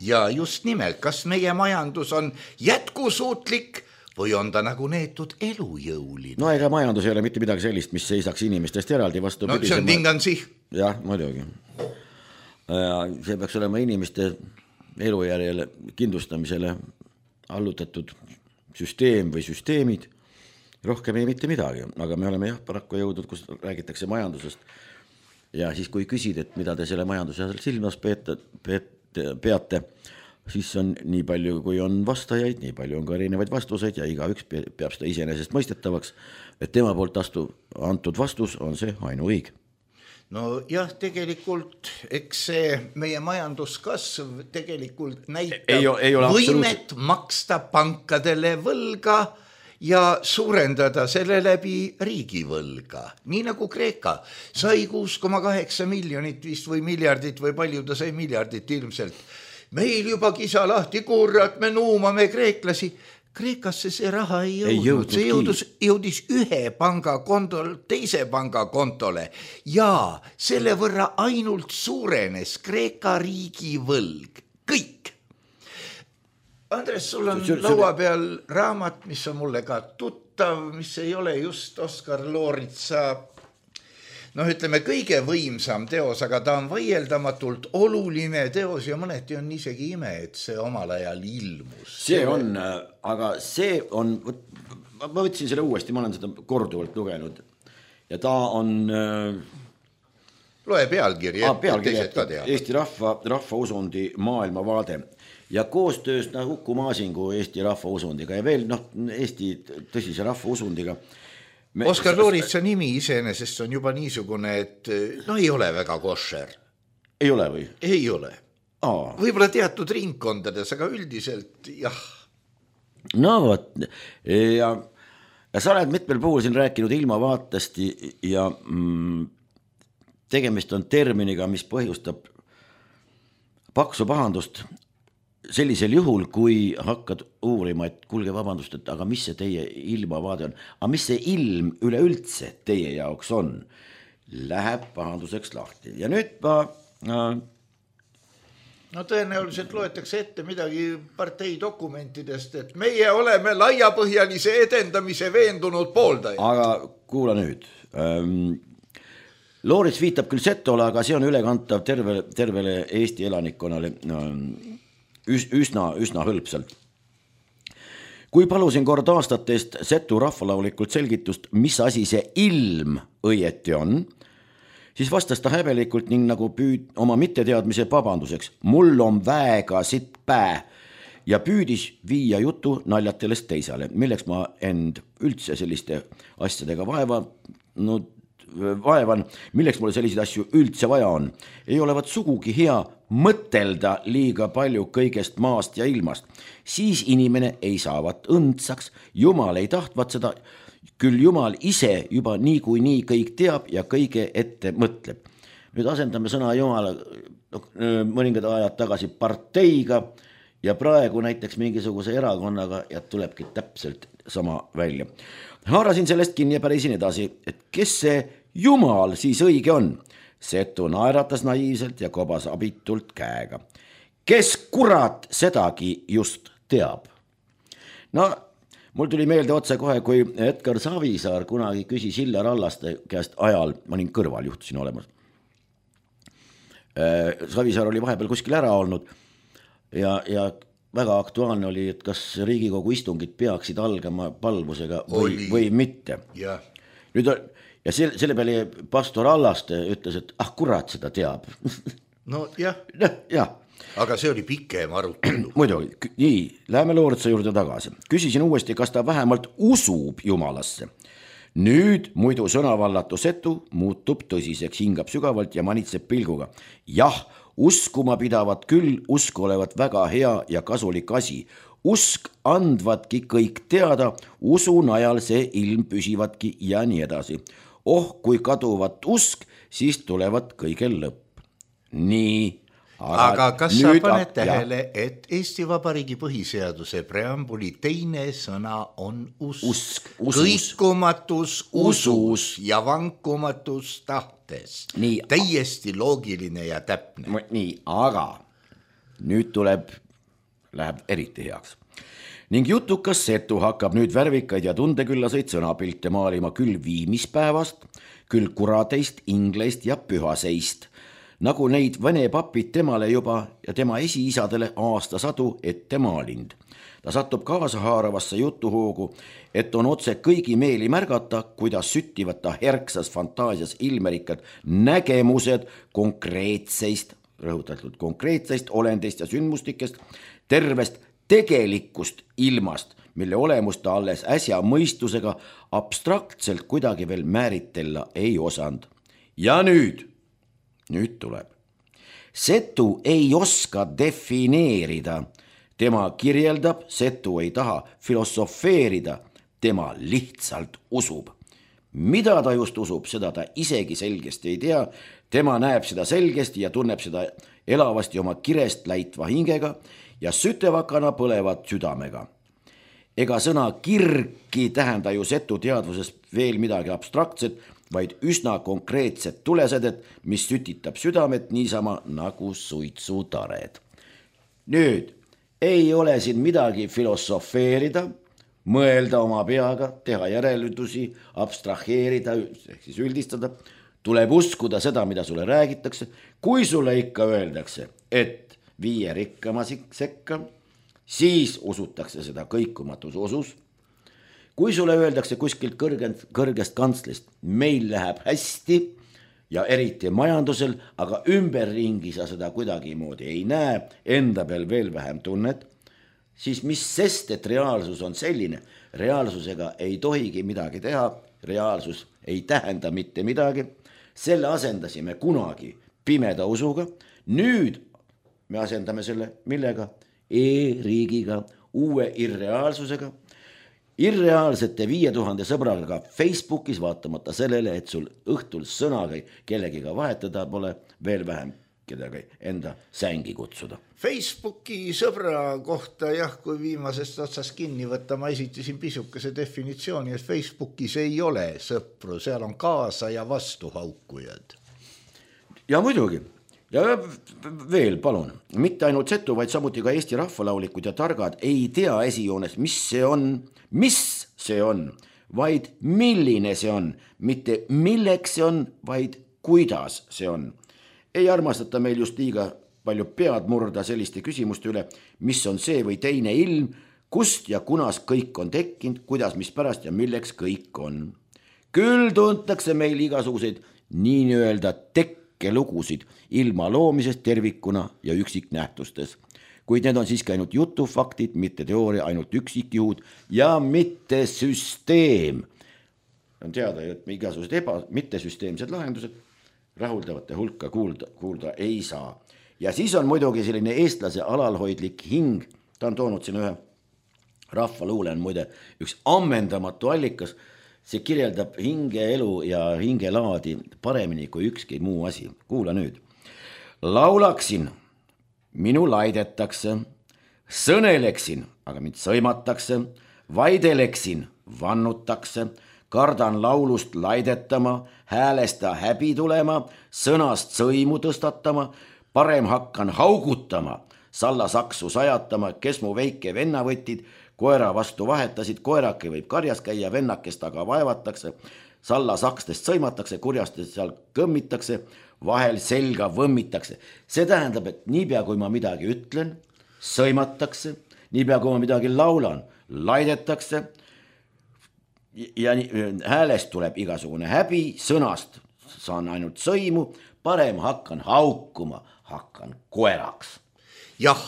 Ja just nimelt, kas meie majandus on jätkusuutlik või on ta nagu neetud elujõuline? No ega majandus ei ole mitte midagi sellist, mis seisaks inimestest eraldi vastu. No see on tingansi. Jah, muidugi. See peaks olema inimeste elujärjele kindlustamisele allutatud süsteem või süsteemid. Rohkem ei mitte midagi, aga me oleme jah paraku jõudnud, kus räägitakse majandusest. Ja siis kui küsid, et mida te selle majanduse silmas peate, peate, siis on nii palju, kui on vastajaid, nii palju on ka erinevaid vastuseid ja iga üks peab seda iseenesest mõistetavaks, et tema poolt astu, antud vastus on see ainuõig. No jah, tegelikult eks see meie majanduskasv tegelikult näitab ei, ei võimet absoluut... maksta pankadele võlga ja suurendada selle läbi riigivõlga. Nii nagu Kreeka sai kuus koma kaheksa miljonit vist või miljardit või palju ta sai miljardit ilmselt. Meil juba kisa lahti, kurat, me nuumame kreeklasi. Kreekasse see raha ei jõudnud, ei jõudnud see jõudus, jõudis ühe panga kontol, teise panga kontole ja selle võrra ainult suurenes Kreeka riigi võlg. Kõik. Andres, sul on laua peal raamat, mis on mulle ka tuttav, mis ei ole just Oskar Looritsa, noh ütleme kõige võimsam teos, aga ta on vaieldamatult oluline teos ja mõneti on isegi ime, et see omal ajal ilmus. See on, aga see on, ma võtsin selle uuesti, ma olen seda korduvalt lugenud ja ta on... Loe pealkiri, et teised ka teavad. Eesti rahva, rahvausundi maailmavaade ja koostöös Uku Maasingu Eesti rahvausundiga ja veel noh, Eesti tõsise rahvausundiga. Me... Oskar Looritsa nimi iseenesest on juba niisugune, et no ei ole väga košer. Ei ole või? Ei ole. Aa. Võib-olla teatud ringkondades, aga üldiselt jah. No võt, ja, ja sa oled mitmel puhul siin rääkinud ilmavaatest ja mm, tegemist on terminiga, mis põhjustab paksu pahandust sellisel juhul, kui hakkad uurima, et kuulge vabandust, et aga mis see teie ilmavaade on, aga mis see ilm üleüldse teie jaoks on, läheb pahanduseks lahti. Ja nüüd ma... Äh, no tõenäoliselt loetakse ette midagi partei dokumentidest, et meie oleme laiapõhjalise edendamise veendunud pooldaja. Aga kuula nüüd. Ähm, Loorits viitab küll Setole, aga see on ülekantav terve, tervele Eesti elanikkonnale ähm, üsna, üsna hõlpsalt. Kui palusin kord aastatest Setu rahvalaulikult selgitust, mis asi see ilm õieti on, siis vastas ta häbelikult ning nagu püüd oma mitteteadmise vabanduseks. Mul on väega sitt pää ja püüdis viia jutu naljatelest teisale, milleks ma end üldse selliste asjadega vaeva, no, vaevan, milleks mulle selliseid asju üldse vaja on. Ei olevat sugugi hea mõtelda liiga palju kõigest maast ja ilmast. Siis inimene ei saavat õndsaks, Jumal ei tahtvat seda, küll Jumal ise juba nii kui nii kõik teab ja kõige ette mõtleb. Nüüd asendame sõna Jumala mõningad ajad tagasi parteiga ja praegu näiteks mingisuguse erakonnaga ja tulebki täpselt sama välja. Haarasin sellest kinni ja pärisin edasi, et kes see Jumal siis õige on? Setu naeratas naiivselt ja kobas abitult käega. Kes kurat sedagi just teab? No, mul tuli meelde otse kohe, kui Edgar Savisaar kunagi küsis Illar Allaste käest ajal, ma olin kõrval, juhtusin olemas. Savisaar oli vahepeal kuskil ära olnud ja, ja väga aktuaalne oli, et kas Riigikogu istungid peaksid algama palvusega või, või mitte. Ja. Nüüd on, ja selle, selle peale pastor Allaste ütles, et ah kurat seda teab. No jah. No, jah. Aga see oli pikem arutelu. Muidugi, nii, läheme Looritsa juurde tagasi. Küsisin uuesti, kas ta vähemalt usub Jumalasse. Nüüd muidu sõnavallatu Setu muutub tõsiseks, hingab sügavalt ja manitseb pilguga. Jah, uskuma pidavat küll, usk olevat väga hea ja kasulik asi. Usk andvatki kõik teada, usu najal see ilm püsivatki ja nii edasi. Oh, kui kaduvat usk, siis tulevat kõigel lõpp. Nii, aga, aga kas sa paned tähele, et Eesti Vabariigi põhiseaduse preambuli teine sõna on usk, usk, kõikumatus usus ja vankumatus tahtes. Nii, täiesti loogiline ja täpne. Nii, aga nüüd tuleb, läheb eriti heaks. Ning jutukas Setu hakkab nüüd värvikaid ja tundeküllaseid sõnapilte maalima küll viimispäevast, küll kurateist, ingleist ja pühaseist, nagu neid vene papid temale juba ja tema esiisadele aastasadu ette maalind. Ta satub kaasahaaravasse jutuhoogu, et on otse kõigi meeli märgata, kuidas süttivad ta herksas fantaasias ilmerikkad nägemused konkreetseist, rõhutatud konkreetseist olendist ja sündmustikest, tervest tegelikust ilmast, mille olemust ta alles äsja mõistusega abstraktselt kuidagi veel määritella ei osanud. Ja nüüd Nüüd tuleb. Setu ei oska defineerida. Tema kirjeldab, Setu ei taha filosofeerida. Tema lihtsalt usub. Mida ta just usub, seda ta isegi selgesti ei tea. Tema näeb seda selgesti ja tunneb seda elavasti oma kirest läitva hingega ja sütevakana põlevat südamega. Ega sõna kirki tähenda ju Setu teadvuses veel midagi abstraktset, vaid üsna konkreetset tulesedet, mis sütitab südamet niisama nagu suitsutared. Nüüd ei ole siin midagi filosofeerida, mõelda oma peaga, teha järeldusi, abstraheerida, ehk siis üldistada. Tuleb uskuda seda, mida sulle räägitakse. Kui sulle ikka öeldakse, et viie rikkama sekka, siis usutakse seda kõikumatus usus. Kui sulle öeldakse kuskilt kõrgest, kõrgest kantslist, meil läheb hästi ja eriti majandusel, aga ümberringi sa seda kuidagi moodi ei näe, enda peal veel vähem tunnet, siis mis sest, et reaalsus on selline, reaalsusega ei tohigi midagi teha, reaalsus ei tähenda mitte midagi, selle asendasime kunagi pimeda usuga, nüüd me asendame selle millega? E-riigiga, uue irreaalsusega, irreaalsete viie tuhande sõbraga Facebookis vaatamata sellele, et sul õhtul sõnaga kellegiga vahetada pole, veel vähem kedagi enda sängi kutsuda. Facebooki sõbra kohta jah, kui viimasest otsast kinni võtta, ma esitasin pisukese definitsiooni, et Facebookis ei ole sõpru, seal on kaasa ja vastuhaukujad. Ja muidugi. Ja veel palun, mitte ainult Setu, vaid samuti ka Eesti rahvalaulikud ja targad ei tea esijoones, mis see on, mis see on, vaid milline see on, mitte milleks see on, vaid kuidas see on. Ei armastata meil just liiga palju pead murda selliste küsimuste üle, mis on see või teine ilm, kust ja kunas kõik on tekkinud, kuidas, mis pärast ja milleks kõik on. Küll tuntakse meil igasuguseid nii öelda tekkinud lugusid ilma loomisest tervikuna ja üksiknähtustes. Kuid need on siiski ainult jutufaktid, mitte teooria, ainult üksikjuhud ja mitte süsteem. On teada, et igasugused eba, mitte süsteemsed lahendused rahuldavate hulka kuulda, kuulda ei saa. Ja siis on muidugi selline eestlase alalhoidlik hing, ta on toonud siin ühe rahvaluule on muide üks ammendamatu allikas, see kirjeldab hingeelu ja hingelaadi paremini kui ükski muu asi. Kuula nüüd. Laulaksin, minu laidetakse, sõneleksin, aga mind sõimatakse, vaideleksin, vannutakse, kardan laulust laidetama, häälesta häbi tulema, sõnast sõimu tõstatama, parem hakkan haugutama, salla saksu sajatama, kes mu väike venna võtid, koera vastu vahetasid, koerake võib karjas käia, vennakest aga vaevatakse, salla sakstest sõimatakse, kurjastest seal kõmmitakse, vahel selga võmmitakse. See tähendab, et niipea kui ma midagi ütlen, sõimatakse, niipea kui ma midagi laulan, laidetakse ja häälest tuleb igasugune häbi, sõnast saan ainult sõimu, parem hakkan haukuma, hakkan koeraks. Jah.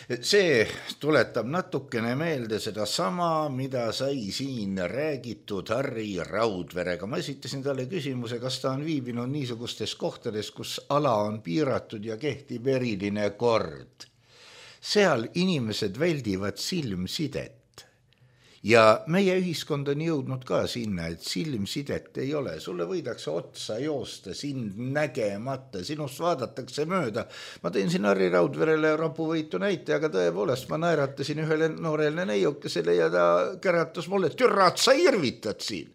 See tuletab natukene meelde seda sama, mida sai siin räägitud Harri Raudverega. Ma esitasin talle küsimuse, kas ta on viibinud niisugustes kohtades, kus ala on piiratud ja kehtib eriline kord. Seal inimesed väldivad silmsidet ja meie ühiskond on jõudnud ka sinna, et silmsidet ei ole, sulle võidakse otsa joosta sind nägemata, sinust vaadatakse mööda. Ma tõin siin Harri Raudverele rapuvõitu näite, aga tõepoolest ma naeratasin ühele noorele neiukesele ja ta käratas mulle, et türrat, sa irvitad siin.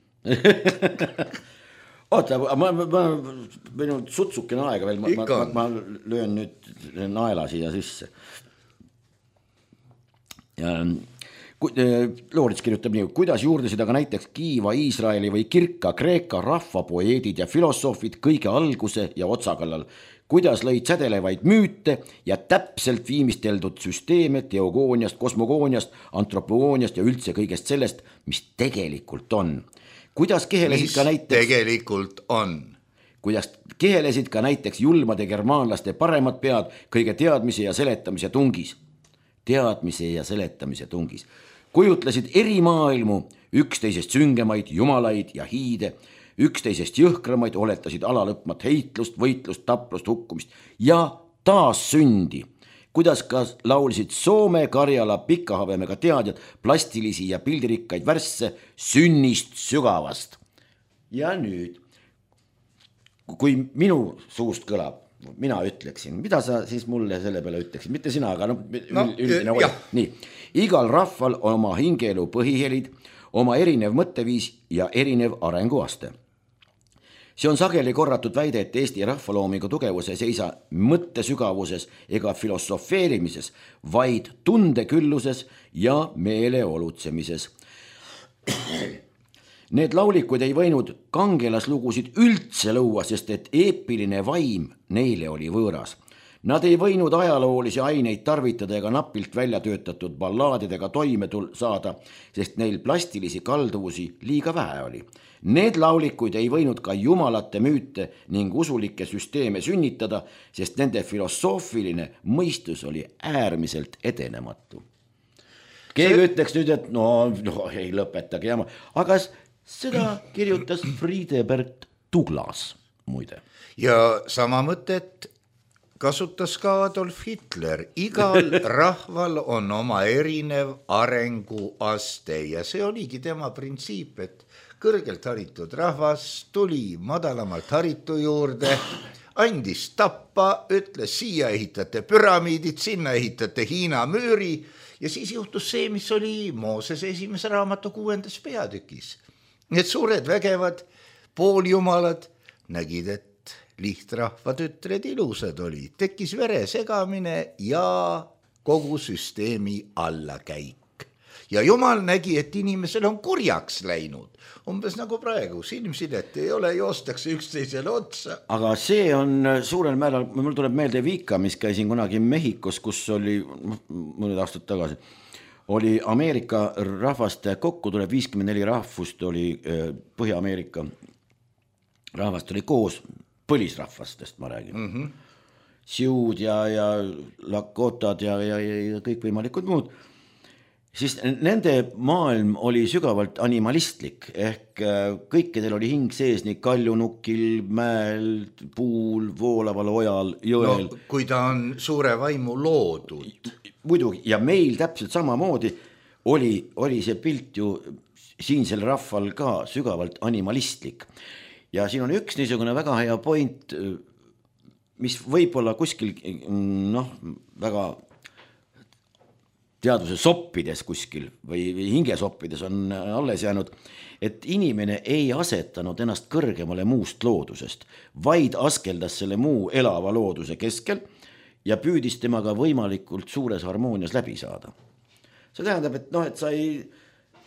Oota, ma, ma, ma, meil on sutsukene aega veel, ma, ma, ma löön nüüd naela siia sisse. Ja Loorits kirjutab nii, kuidas juurdesid aga näiteks Kiiva, Iisraeli või Kirka, Kreeka, rahvapoeedid ja filosoofid kõige alguse ja otsakallal, kuidas lõid sädelevaid müüte ja täpselt viimisteletud süsteeme teogooniast, kosmogooniast, antropogooniast ja üldse kõigest sellest, mis tegelikult on. Kuidas kehelesid ka näiteks... tegelikult on. Kuidas kehelesid ka näiteks julmade germaanlaste paremad pead kõige teadmise ja seletamise tungis. Teadmise ja seletamise tungis. Kujutlesid eri maailmu, üksteisest süngemaid, jumalaid ja hiide, üksteisest jõhkramaid, oletasid alalõpmat heitlust, võitlust, taplust, hukkumist ja taas sündi. Kuidas ka laulsid Soome, Karjala, Pikahavemega teadjad plastilisi ja pildirikkaid värsse sünnist sügavast. Ja nüüd, kui minu suust kõlab, mina ütleksin, mida sa siis mulle selle peale ütleksid, mitte sina, aga no, no üldine hoia. Nii, igal rahval on oma hingeelu põhihelid, oma erinev mõtteviis ja erinev arenguaste. See on sageli korratud väide, et Eesti rahvaloomingu tugevuse ei seisa mõttesügavuses ega filosofeerimises, vaid tundekülluses ja meeleolutsemises. Need laulikud ei võinud kangelaslugusid üldse luua, sest et eepiline vaim neile oli võõras. Nad ei võinud ajaloolisi aineid tarvitada ega napilt välja töötatud ballaadidega toime saada, sest neil plastilisi kalduvusi liiga vähe oli. Need laulikuid ei võinud ka jumalate müüte ning usulikke süsteeme sünnitada, sest nende filosoofiline mõistus oli äärmiselt edenematu. Keegi See... ütleks nüüd, et no, no ei lõpetage jama, aga seda kirjutas Friedebert Douglas muide. Ja sama mõtet kasutas ka Adolf Hitler. Igal rahval on oma erinev arenguaste ja see oligi tema printsiip, et kõrgelt haritud rahvas tuli madalamalt haritu juurde, andis tappa, ütles siia ehitate püramiidid, sinna ehitate Hiina müüri ja siis juhtus see, mis oli Moosese esimese raamatu kuuendas peatükis. Need suured vägevad pooljumalad nägid, et lihtrahva tütred ilusad oli. Tekkis vere segamine ja kogu süsteemi allakäik. Ja jumal nägi, et inimesel on kurjaks läinud. Umbes nagu praegu, silmsidet ei ole, joostakse üksteisele otsa. Aga see on suurel määral, mul tuleb meelde Viika, mis käisin kunagi Mehhikos, kus oli mõned aastad tagasi. Oli Ameerika rahvaste kokku, tuleb viiskümmend neli rahvust, oli Põhja-Ameerika rahvast oli koos, põlisrahvastest ma räägin. Mm-hmm. Siud ja, ja Lakotad ja, ja, ja kõik võimalikud muud. Siis nende maailm oli sügavalt animalistlik, ehk kõikidel oli hing sees nii kaljunukil, mäel, puul, voolaval ojal, jõel. No, kui ta on suure vaimu loodud. Muidugi, ja meil täpselt samamoodi oli, oli see pilt ju siinsel rahval ka sügavalt animalistlik. Ja siin on üks niisugune väga hea point, mis võib-olla kuskil, noh, väga teaduse soppides kuskil või hingesoppides on alles jäänud, et inimene ei asetanud ennast kõrgemale muust loodusest, vaid askeldas selle muu elava looduse keskel ja püüdis temaga võimalikult suures harmoonias läbi saada. See tähendab, et, noh, et sa ei,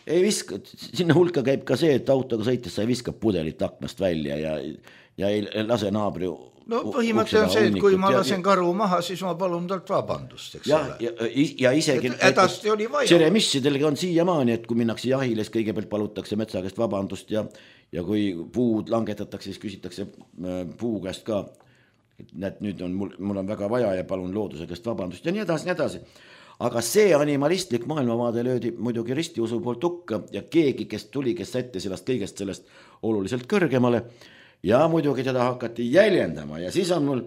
ei viska, sinna hulka käib ka see, et autoga sõites sa ei viska pudelit aknast välja ja, ja ei lase naabri. No põhimõte on see, et kui ma lasen karu maha, siis ma palun talt vabandust, eks ja, ole. Ja, ja isegi edasti oli vaja. Seremissidel on siiamaani, et kui minnakse jahile, siis kõigepealt palutakse metsa käest vabandust ja, ja kui puud langetatakse, siis küsitakse puu käest ka, et nüüd on mul, mul on väga vaja ja palun looduse käest vabandust ja nii edasi, nii edasi. Aga see animalistlik maailmavaade löödi muidugi ristiusu poolt hukka ja keegi, kes tuli, kes sättis sellest kõigest sellest oluliselt kõrgemale ja muidugi teda hakati jäljendama ja siis on mul...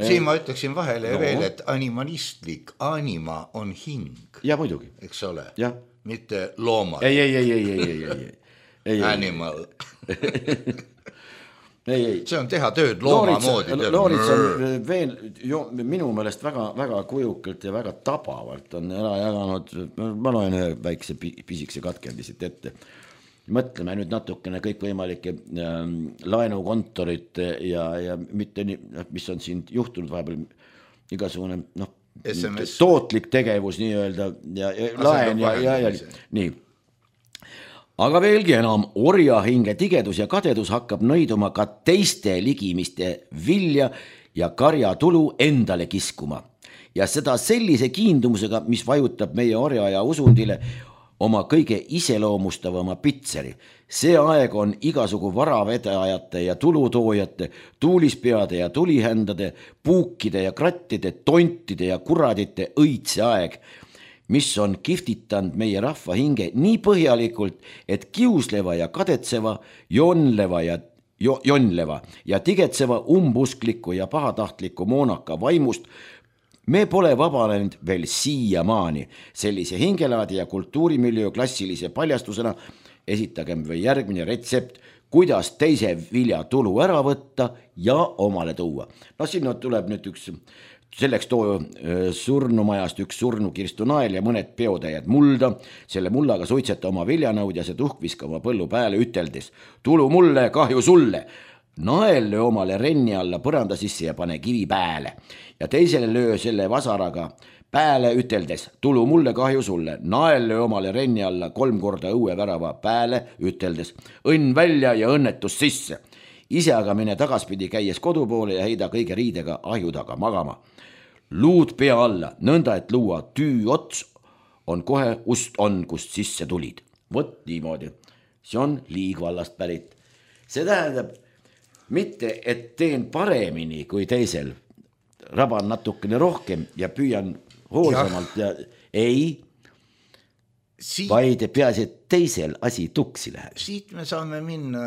Siin ma ütleksin vahele no. veel, et animalistlik anima on hing. Ja muidugi. Eks ole. Ja. mitte loomad. ei, ei, ei, ei, ei, ei, ei, ei. Animal. ei, ei. See on teha tööd looma moodi. Loorits on veel jo, minu meelest väga, väga kujukalt ja väga tabavalt on ära jaganud, ma loen ühe väikse pisikese katkendist ette. Mõtleme nüüd natukene kõikvõimalike äh, laenukontorite ja, ja mitte nii, mis on siin juhtunud vahepeal igasugune noh, tootlik tegevus nii-öelda ja, ja laen ja, ja, ja nii. Aga veelgi enam, orjahinge tigedus ja kadedus hakkab nõiduma ka teiste ligimiste vilja ja karjatulu endale kiskuma. Ja seda sellise kiindumusega, mis vajutab meie orja ja usundile oma kõige iseloomustavama pitseri. See aeg on igasugu varavedajate ja tulutoojate, tuulispeade ja tulihändade, puukide ja krattide, tontide ja kuradite õitse aeg, mis on kiftitanud meie rahva hinge nii põhjalikult, et kiusleva ja kadetseva, jonleva ja jo, jonleva ja tigetseva umbuskliku ja pahatahtliku moonaka vaimust me pole vabanenud veel siiamaani. Sellise hingelaadi ja kultuurimiljöö klassilise paljastusena esitagem või järgmine retsept, kuidas teise vilja tulu ära võtta ja omale tuua. No sinna tuleb nüüd üks, selleks too surnumajast üks surnu kirstunael ja mõned peotäied mulda. Selle mullaga suitseta oma viljanõud ja see tuhk viska oma põllu pääle üteldes. Tulu mulle, kahju sulle. Nael löö omale renni alla põranda sisse ja pane kivi pääle. Ja teisele löö selle vasaraga pääle üteldes, tulu mulle, kahju sulle. Nael löö omale renni alla kolm korda õue värava pääle üteldes, õnn välja ja õnnetus sisse. Ise aga mine tagaspidi käies kodu poole ja heida kõige riidega ahju taga magama. Luud pea alla, nõnda et luua tüü ots on kohe ust on, kust sisse tulid. Vot niimoodi. See on Liigvallast pärit. See tähendab mitte, et teen paremini kui teisel, raban natukene rohkem ja püüan hoolsamalt ja, ja ei, siit, vaid peaasi, et teisel asi tuksi läheb. Siit me saame minna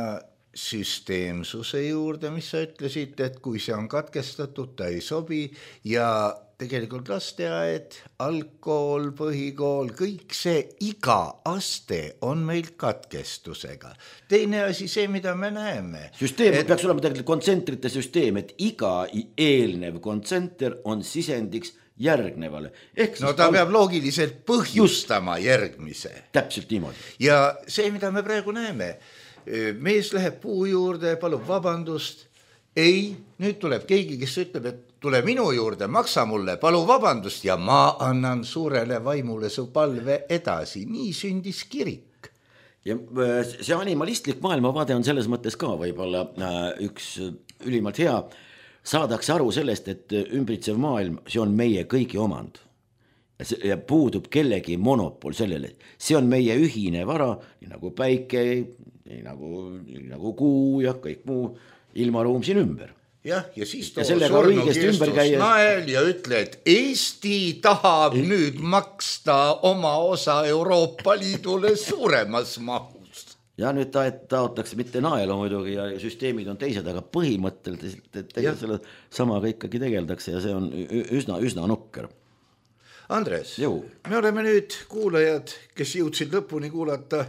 süsteemsuse juurde, mis sa ütlesid, et kui see on katkestatud, ta ei sobi ja tegelikult lasteaed, algkool, põhikool, kõik see iga aste on meil katkestusega. Teine asi see, mida me näeme. Süsteem et... peaks olema tegelikult kontsentrite süsteem, et iga eelnev kontsenter on sisendiks järgnevale. Ehk no ta al... peab loogiliselt põhjustama Just. järgmise. Täpselt niimoodi. Ja see, mida me praegu näeme, mees läheb puu juurde, palub vabandust. Ei, nüüd tuleb keegi, kes ütleb, et tule minu juurde, maksa mulle, palu vabandust ja ma annan suurele vaimule su palve edasi. Nii sündis kirik. Ja see animalistlik maailmavaade on selles mõttes ka võib-olla üks ülimalt hea. Saadakse aru sellest, et ümbritsev maailm, see on meie kõigi omand. Ja puudub kellegi monopol sellele. See on meie ühine vara, nii nagu päike, nii nagu, nii nagu kuu ja kõik muu ilmaruum siin ümber. Jah, ja siis too surnu kirstus nael ja ütle, et Eesti tahab Ei. nüüd maksta oma osa Euroopa Liidule suuremas mahus. Ja nüüd ta, taotakse mitte naelu muidugi ja süsteemid on teised, aga põhimõtteliselt tegelikult selle samaga ikkagi tegeldakse ja see on üsna, üsna nukker. Andres, Jõu. me oleme nüüd kuulajad, kes jõudsid lõpuni kuulata,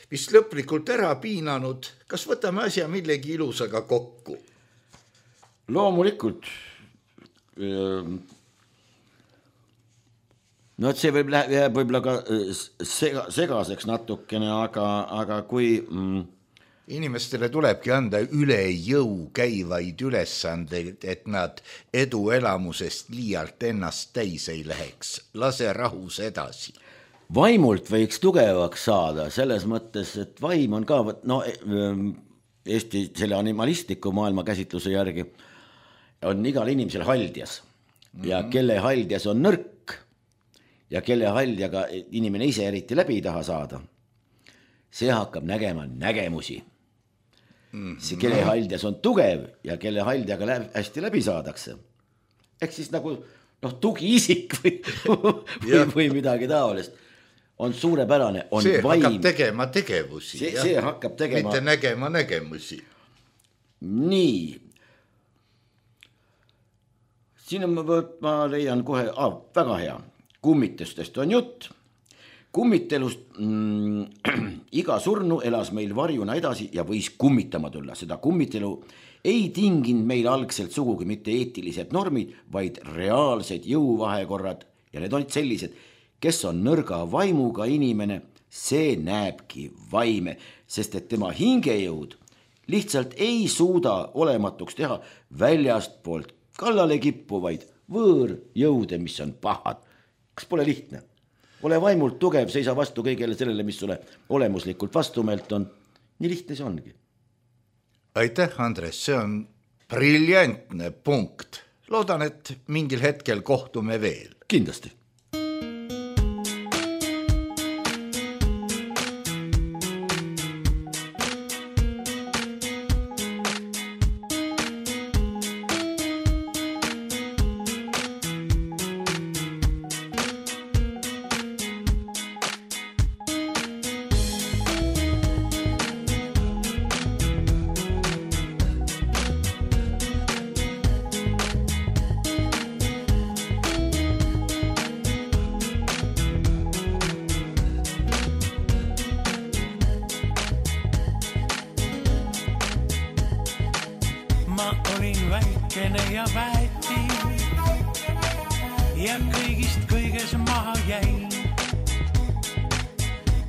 vist lõplikult ära piinanud. Kas võtame asja millegi ilusaga kokku? Loomulikult. No et see võib läheb võib-olla ka sega, segaseks natukene, aga, aga kui... Mm, inimestele tulebki anda üle jõu käivaid ülesandeid, et nad eduelamusest liialt ennast täis ei läheks. Lase rahus edasi. Vaimult võiks tugevaks saada selles mõttes, et vaim on ka, no Eesti selle animalistliku maailma käsitluse järgi on igal inimesel haldjas ja mm-hmm. kelle haldjas on nõrk ja kelle haldjaga inimene ise eriti läbi ei taha saada, see hakkab nägema nägemusi. Mm-hmm. See kelle haldjas on tugev ja kelle haldjaga läbi, hästi läbi saadakse. Ehk siis nagu noh, tugiisik või, või, või midagi taolist. On suurepärane, on see vaim. See hakkab tegema tegevusi. See, see hakkab tegema... Mitte nägema nägemusi. Nii. Siin on, ma leian kohe, ah, väga hea. Kummitustest on jutt. Kummitelust mm, iga surnu elas meil varjuna edasi ja võis kummitama tulla. Seda kummitelu ei tinginud meil algselt sugugi mitte eetilised normid, vaid reaalsed jõuvahekorrad ja need olid sellised, kes on nõrga vaimuga inimene, see näebki vaime, sest et tema hingejõud lihtsalt ei suuda olematuks teha väljast poolt kallale kippuvaid võõrjõude, mis on pahad. Kas pole lihtne? Ole vaimult tugev, seisa vastu kõigele sellele, mis sulle olemuslikult vastumeelt on. Nii lihtne see ongi. Aitäh, Andres, see on briljantne punkt. Loodan, et mingil hetkel kohtume veel. Kindlasti. väikene ja väeti ja kõigist kõiges maha jäin.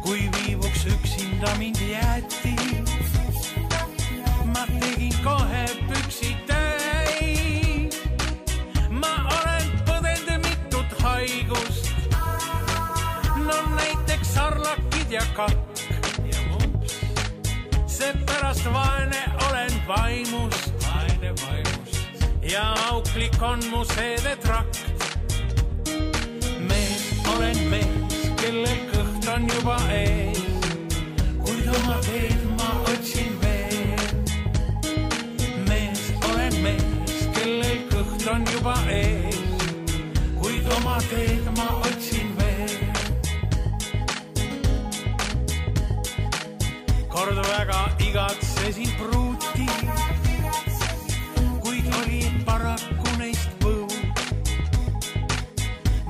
Kui viivuks üksinda mind jäeti, ma tegin kohe püksi täis. Ma olen põdend mitut haigust, no näiteks sarlakid ja kakk. Seepärast vaene olen vaimust, vaene vaimust ja auklik on mu seedetrakt. Mees olen mees, kellel kõht on juba ees, kuid oma teed ma otsin veel. Mees olen mees, kellel kõht on juba ees, kuid oma teed ma otsin veel. Kord väga igatsesin pruuti, kuid oli paraku neist põu.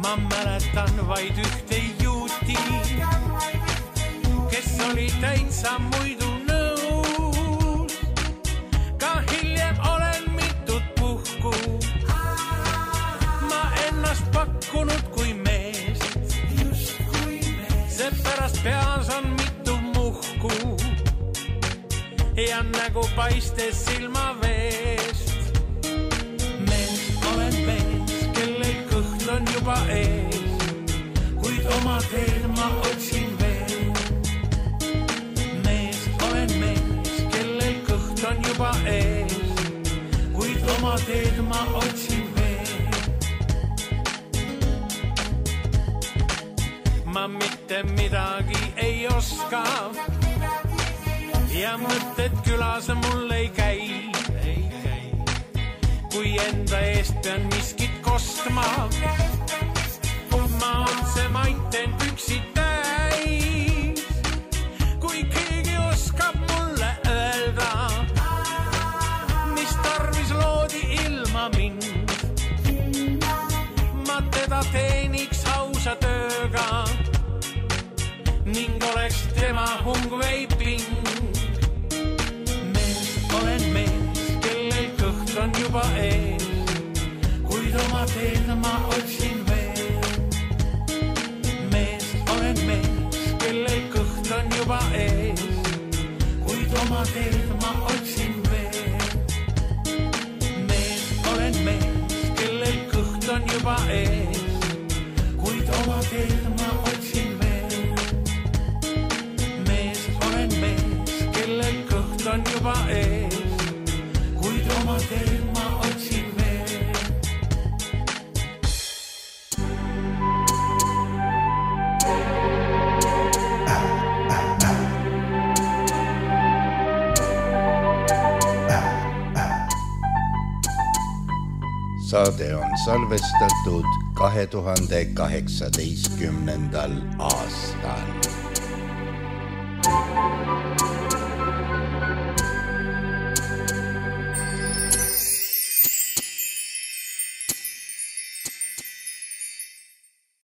Ma mäletan vaid ühte juuti, kes oli täitsa muidu nõus. Ka hiljem olen mitut puhku ma ennast pakkunud kui meest, seepärast peas on mitu muhku ja nägu paistes silma veest. Mees olen mees, kellel kõht on juba ees, kuid oma teed ma otsin veel. Mees olen mees, kellel kõht on juba ees, kuid oma teed ma otsin veel. Ma mitte midagi ei oska ja mõtted külas mul ei käi. Kui enda eest pean miskit kostma, ma otse maiten püksid täis. Kui keegi oskab mulle öelda, mis tarvis loodi ilma mind, ma teda teeniks ausa tööga ning oleks tema hung veiping. Olen mees, kellel kõht on juba ees, kuid oma teed ma otsin veel. Mees olen mees, kellel kõht on juba ees, kuid oma teed ma otsin veel. Mees olen mees, kellel kõht on juba ees, kuid oma teed ma otsin veel. Mees olen mees, kellel kõht on juba ees, kuid oma teed ma otsin veel. Saade on salvestatud kahe tuhande kaheksateistkümnendal aastal.